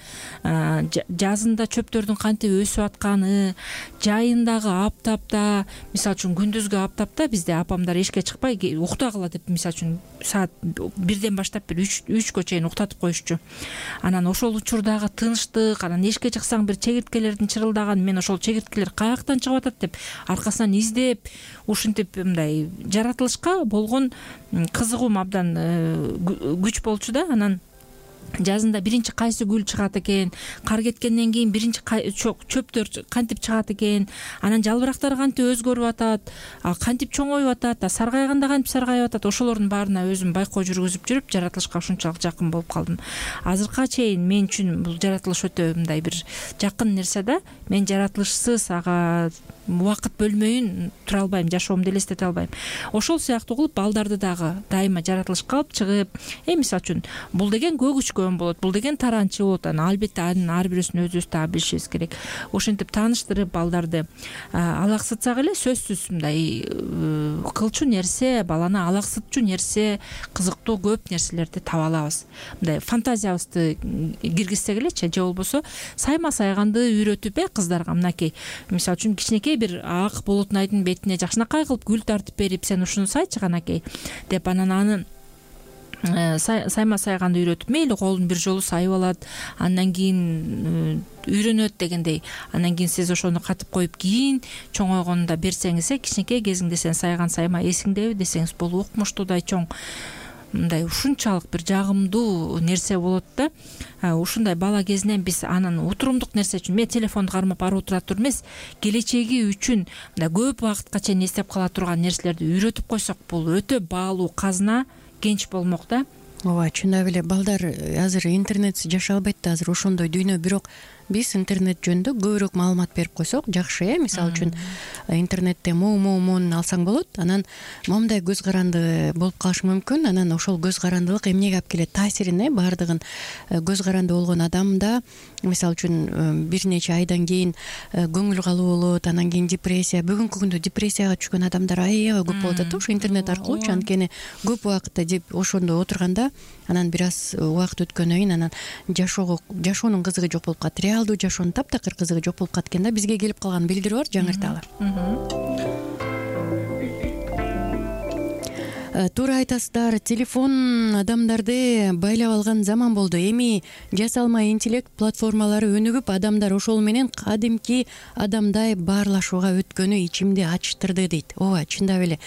Speaker 2: жазында чөптөрдүн кантип өсүп атканы, жайындагы аптапта, мисалы үчүн күндүзгү аптапта бизде апамдар эшикке чыкпай уктагыла деп, мисалы үчүн саат бирден баштап бир үчкө чейин уктатып коюшчу. Анан ошол учурдагы тынчтык, анан эшикке чыксаң бир чегирткелердин чырылдаган, мен ошол чегирткелер каяктан чыгып атат деп аркасынан издеп, ушинтип мындай жаратылышка болгон кызыгуум абдан күч болчу да. Анан жазында биринчи кайсы гүл чыгат экен, кар кеткенден кийин биринчи чөптөр кантип чыгат экен, анан жалбырактар кантип өзгөрүп атат, кантип чоңоюп атат, саргайганда кантип саргайып атат, ошолордун баарына өзүм байкоо жүргүзүп жүрүп жаратылышка ушунчалык жакын болуп калдым. Азыркыга чейин мен үчүн бул жаратылыш өтө мындай бир жакын нерсе да. Мен жаратылышсыз ага убакыт бөлмөйүн тура албайм, жашоомду элестете албайм. Ошол сыяктуу кылып балдарды дагы дайыма жаратылышка алып чыгып, э мисалы үчүн бул деген көк учкөн болот, бул деген таранчы болот. Анан албетте анын ар бирөөсүн өзүбүз дагы билишибиз керек. Ошентип тааныштырып балдарды алаксытсак эле сөзсүз мындай кылчу нерсе, баланы алаксытчу нерсе, кызыктуу көп нерселерди таба алабыз. Мындай фантазиябызды киргизсек элечи, же болбосо сайма сайганды үйрөтүп, э кыздарга мынакей, мисалы үчүн кичинекей бир ак болотнайдын бетине жакшынакай кылып гүл тартып берип, сен ушуну сайчы канакей деп, анан аны сайма сайганды үйрөтүп, мейли колун бир жолу сайып алат, андан кийин үйрөнөт дегендей. Андан кийин сиз ошону катып коюп, кийин чоңойгонунда берсеңиз, э кичинекей кезиңде сен сайган сайма эсиңдеби десеңиз, бул укмуштуудай чоң мындай ушунчалык бир жагымдуу нерсе болот да. Ушундай бала кезинен биз анын утурумдук нерсе үчүн, мен телефонду кармап ары отура тур эмес, келечеги үчүн мындай көп убакытка чейин эстеп кала турган нерселерди үйрөтүп койсок, бул өтө баалуу казына, кенч болмок да.
Speaker 3: Ооба, чындап эле балдар азыр интернетсиз жашай албайт да, азыр ошондой дүйнө. Бирок биз интернет жөнүндө көбүрөөк маалымат берип койсок жакшы э мисалы үчүн интернетте муу муу муун алсаң болот, анан момундай көз каранды болуп калышы мүмкүн, анан ошол көз карандылык эмнеге алып келет, таасирин э баардыгын көз каранды болгон адамда мисалы үчүн бир нече айдан кийин көңүл калуу болот, анан кийин депрессия, бүгүнкү күндө депрессияга түшкөн адамдар аябай көп болуп атат ошо интернет аркылуучу, анткени көп убакытта деп ошондо отурганда анан бир аз убакыт өткөндөн кийин анан жашоого жашоонун кызыгы жок болуп калат, реалдуу жашоонун таптакыр кызыгы жок болуп калат экен да. Бизге келип калганын билдирип бар, жаңырталы. Туура айтасыздар, телефон адамдарды байлап алган заман болду. Эми жасалма интеллект платформалары өнүгүп, адамдар ошол менен кадимки адамдай баарлашууга өткөнү ичимди ачтырды дейт. ооба, чындап эле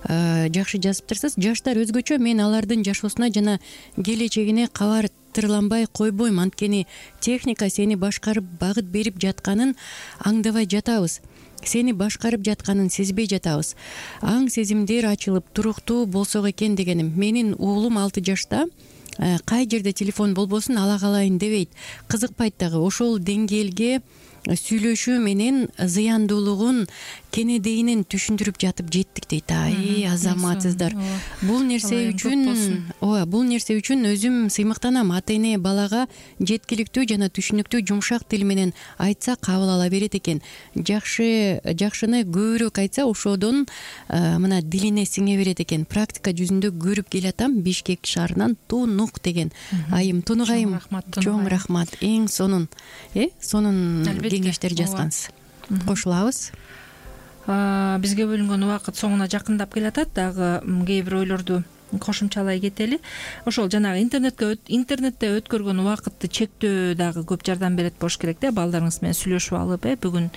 Speaker 3: жакшы жазыптырсыз. Жаштар өзгөчө, мен алардын жашоосуна жана келечегине кабар тырланбай койбойм, анткени техника сени башкарып багыт берип жатканын аңдабай жатабыз, сени башкарып жатканын сезбей жатабыз. Аң сезимдер ачылып туруктуу болсок экен дегеним. Менин уулум алты жашта, кай жерде телефон болбосун ала калайын дебейт, кызыкпайт дагы. Ошол деңгээлге сүйлөшүү менен зыяндуулугун кенедейинен түшүндүрүп жатып жеттик дейт. Ай, азаматсыздар. Бул нерсе үчүн, ооба, бул нерсе үчүн өзүм сыймыктанам. Ата-эне балага жеткиликтүү жана түшүнүктүү жумшак тил менен айтса кабыл ала берет экен. Жакшы, жакшыны көбүрөөк айтса ошодон мына дилине сиңе берет экен. Практика жүзүндө көрүп келатам, Бишкек шаарынан Тунук деген айым. Тунук айым, чоң рахмат. Эң сонун, э, сонун кеңештер жазгансыз. Кошулабыз.
Speaker 2: Бизге бөлүнгөн убакыт соңуна жакындап келатат, дагы кээ бир ойлорду кошумчалай кетели. Ошол жанагы интернетке интернетте өткөргөн убакытты чектөө дагы көп жардам берет болуш керек да. Балдарыңыз менен сүйлөшүп алып, э бүгүн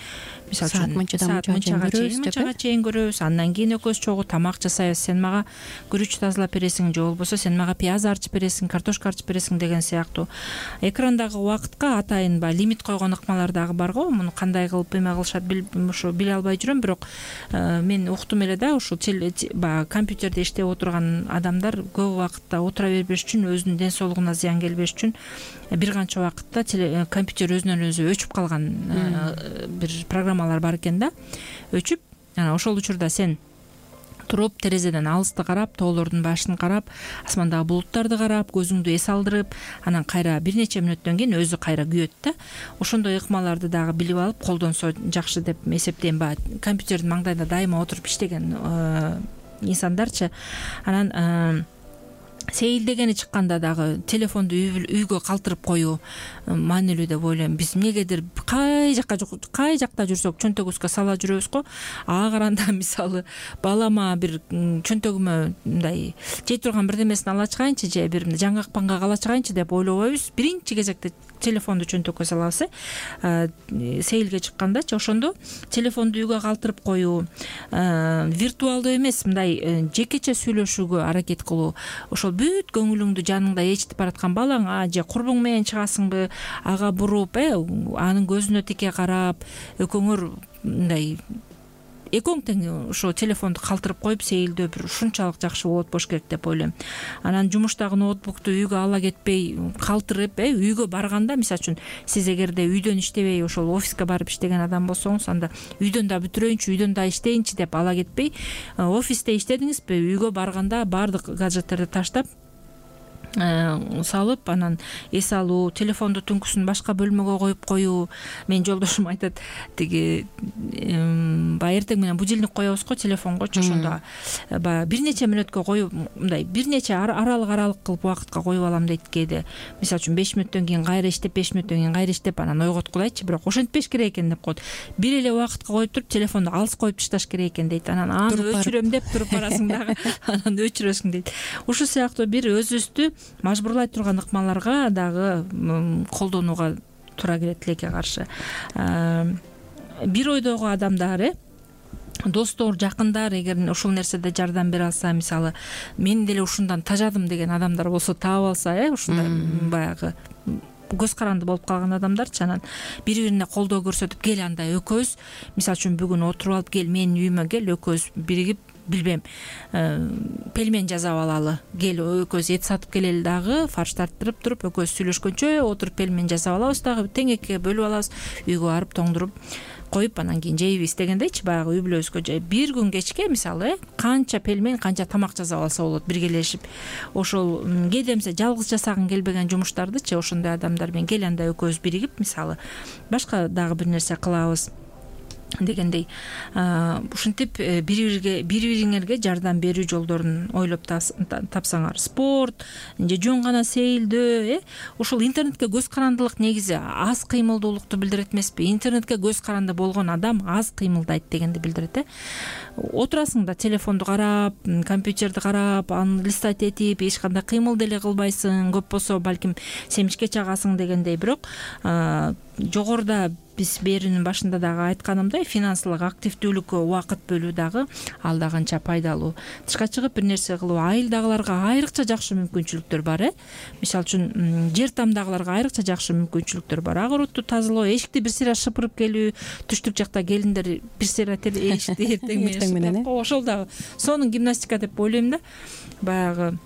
Speaker 2: мисалы үчүн саат мынчага чейин мынчага чейин көрөбүз, андан кийин экөөбүз чогуу тамак жасайбыз, сен мага күрүч тазалап бересиң же болбосо сен мага пияз арчып бересиң, картошка арчып бересиң деген сыяктуу. Экрандагы убакытка атайын баягы лимит койгон ыкмалар дагы бар го. Муну кандай кылып эме кылышат ошо биле албай жүрөм, бирок мен уктум эле да, ушул баягы компьютерде иштеп отурган адамдар көп убакытта отура бербеш үчүн, өзүнүн ден соолугуна зыян келбеш үчүн бир канча убакытта компьютер өзүнөн өзү өчүп калган бир программалар бар экен да. Өчүп, анан ошол учурда сен туруп терезеден алысты карап, тоолордун башын карап, асмандагы булуттарды карап, көзүңдү эс алдырып, анан кайра бир нече мүнөттөн кийин өзү кайра күйөт да. Ошондой ыкмаларды дагы билип алып колдонсо жакшы деп эсептейм. Баягы компьютердин маңдайында дайыма отуруп иштеген инсандарчы. Анан сейилдегени чыкканда дагы телефонду үйгө калтырып коюу маанилүү деп ойлойм. Биз эмнегедир кай жакка кай жакта жүрсөк чөнтөгүбүзгө сала жүрөбүз го. Ага каранда мисалы балама бир чөнтөгүмө мындай жей турган бирдемесин ала чыгайынчы же бир жаңгак паңга ала чыгайынчы деп ойлобойбуз. Биринчи кезекте телефонду чөнтөккө салабыз, э сейилге чыккандачы. Ошондо телефонду үйгө калтырып коюу, виртуалдуу эмес, мындай жекече сүйлөшүүгө аракет кылуу. Ошол бүт көңүлүңдү жаныңда ээрчитип бараткан балаңа же курбуң менен чыгасыңбы, ага буруп, э анын көзүнө тике карап, экөөңөр мындай экөөң тең ошо телефонду калтырып коюп сейилдөө бир ушунчалык жакшы болот болуш керек деп ойлойм. Анан жумуштагы ноутбукту үйгө ала кетпей калтырып, э үйгө барганда, мисалы үчүн сиз эгерде үйдөн иштебей ошол офиске барып иштеген адам болсоңуз, анда үйдөн да бүтүрөйүнчү, үйдөн да иштейинчи деп ала кетпей, офисте иштедиңизби, үйгө барганда баардык гаджеттерди таштап салып, анан эс алуу, телефонду түнкүсүн башка бөлмөгө коюп коюу. Мен жолдошум айтат, тиги баягы эртең менен будильник коебуз го телефонгочу, ошондо баягы бир нече мүнөткө коюп, мындай бир нече аралык аралык кылып убакытка коюп алам дейт кээде. Мисалы үчүн беш мүнөттөн кийин кайра иштеп, беш мүнөттөн кийин кайра иштеп, анан ойготкулайчы, бирок ошентпеш керек экен деп коет. Бир эле убакытка коюп туруп, телефонду алыс коюп ташташ керек экен дейт. Анан аны өчүрөм деп туруп барасың дагы, анан өчүрөсүң дейт. Ушул сыяктуу бир өзүбүздү мажбурлай турган ыкмаларга дагы колдонууга туура келет тилекке каршы. Бир ойдогу адамдар, э достор, жакындар эгер ушул нерседе жардам бере алса, мисалы мен деле ушундан тажадым деген адамдар болсо, таап алса, э ушундай баягы көз каранды болуп калган адамдарчы, анан бири-бирине колдоо көрсөтүп, кел анда экөөбүз, мисалы үчүн бүгүн отуруп алып, кел менин үйүмө кел, экөөбүз биригип билбейм пельмен жасап алалы, кел экөөбүз эт сатып келели дагы, фарш тарттырып туруп экөөбүз сүйлөшкөнчө отуруп пельмен жасап алабыз дагы, теңекке бөлүп алабыз, үйгө барып тоңдуруп коюп анан кийин жейбиз дегендейчи. Баягы үй бүлөбүзгө бир күн кечке мисалы канча пельмен, канча тамак жасап алса болот биргелешип. Ошол кээде эмесе жалгыз жасагың келбеген жумуштардычы ошондой адамдар менен кел анда экөөбүз биригип мисалы башка дагы бир нерсе кылабыз дегендей. Ушинтип бири бирге бири бириңерге жардам берүү жолдорун ойлоп тапсаңар, спорт же жөн гана сейилдөө, э ушул интернетке көз карандылык негизи аз кыймылдуулукту билдирет эмеспи? Интернетке көз каранды болгон адам аз кыймылдайт дегенди билдирет, э отурасың да телефонду карап, компьютерди карап, аны листать этип, эч кандай кыймыл деле кылбайсың, көп болсо балким семишке чагасың дегендей. Бирок жогоруда биз берүүнүн башында дагы айтканымдай финансылык активдүүлүккө убакыт бөлүү дагы ал да канча пайдалуу. Тышка чыгып бир нерсе кылуу айылдагыларга айрыкча жакшы мүмкүнчүлүктөр бар, э мисалы үчүн жер тамдагыларга айрыкча жакшы мүмкүнчүлүктөр бар. Огоротту тазалоо, эшикти бир сыйра шыпырып келүү, түштүк жакта келиндер бир сыйра эшикти эртең менен ошол дагы сонун гимнастика деп ойлойм да. Баягы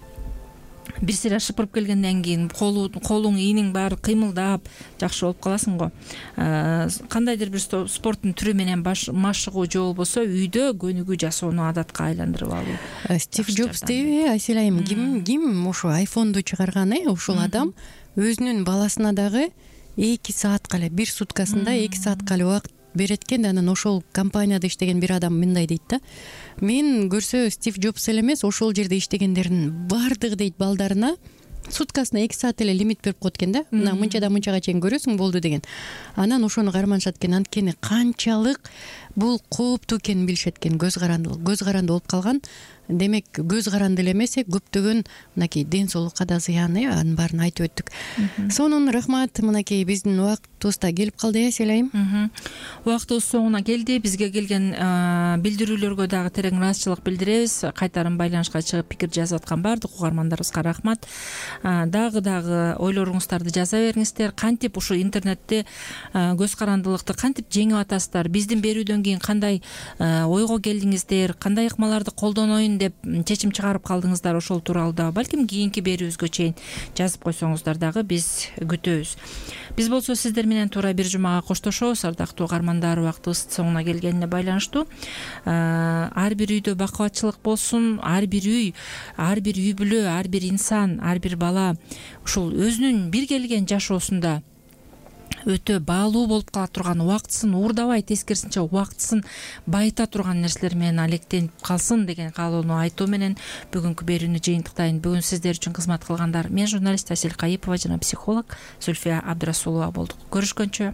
Speaker 2: бир сыйра шыпырып келгенден кийин колуң, ийнең баары кыймылдап жакшы болуп каласың го. Кандайдыр бир спорттун түрү менен машыгуу же болбосо үйдө көнүгүү жасоону адатка айландырып алуу.
Speaker 3: Стив Джобс дейби, Айсел айым, ким ким ошо айфонду чыгарган, э ошол адам өзүнүн баласына дагы эки саатка эле, бир суткасында эки саатка эле убакыт берет экен. Анан ошол компанияда иштеген бир адам мындай дейт да: мен көрсө Стив Джобс эле эмес, ошол жерде иштегендердин баардыгы дейт балдарына суткасына эки саат эле лимит берип коет экен да. Мына мынчадан мынчага чейин көрөсүң болду деген. Анан ошону карманышат экен. Анткени канчалык бул кооптуу экенин билишет экен. Көз карандылык, көз каранды болуп калган. Демек көз каранды эле эмес, көптөгөн мынакей ден соолукка да зыян, э анын баарын айтып өттүк. Сонун рахмат. Мынакей биздин убактыбыз да келип калды, Айсел айым.
Speaker 2: Убактыбыз соңуна келди. Бизге келген билдирүүлөргө дагы терең ыраазычылык билдиребиз. Кайтарым байланышка чыгып пикир жазып аткан баардык угармандарыбызга рахмат. Дагы дагы ойлоруңуздарды жаза бериңиздер. Кантип ушу интернетте көз карандылыкты кантип жеңип атасыздар? Биздин берүүдөн кийин кандай ойго келдиңиздер? Кандай ыкмаларды колдоноюн деп чечим чыгарып калдыңыздар? Ошол тууралуу да балким кийинки берүүбүзгө чейин жазып койсоңуздар дагы биз күтөбүз. Биз болсо сиздер менен туура бир жумага коштошобуз. Ардактуу угармандар, убактыбыз соңуна келгенине байланыштуу. Ар бир үйдө бакубатчылык болсун. Ар бир үй, ар бир үй бүлө, ар бир инсан, ар бир бала ушул өзүнүн бир келген жашоосунда өтө баалуу болуп кала турган, убактысын уурдабай, тескерисинче убактысын байыта турган нерселер менен алектенип калсын деген каалоону айтуу менен бүгүнкү берүүнү жыйынтыктайын. Бүгүн сиздер үчүн кызмат кылгандар мен журналист Асель Кайыпова жана психолог Зульфия Абдрасулова болдук. Көрүшкөнчө.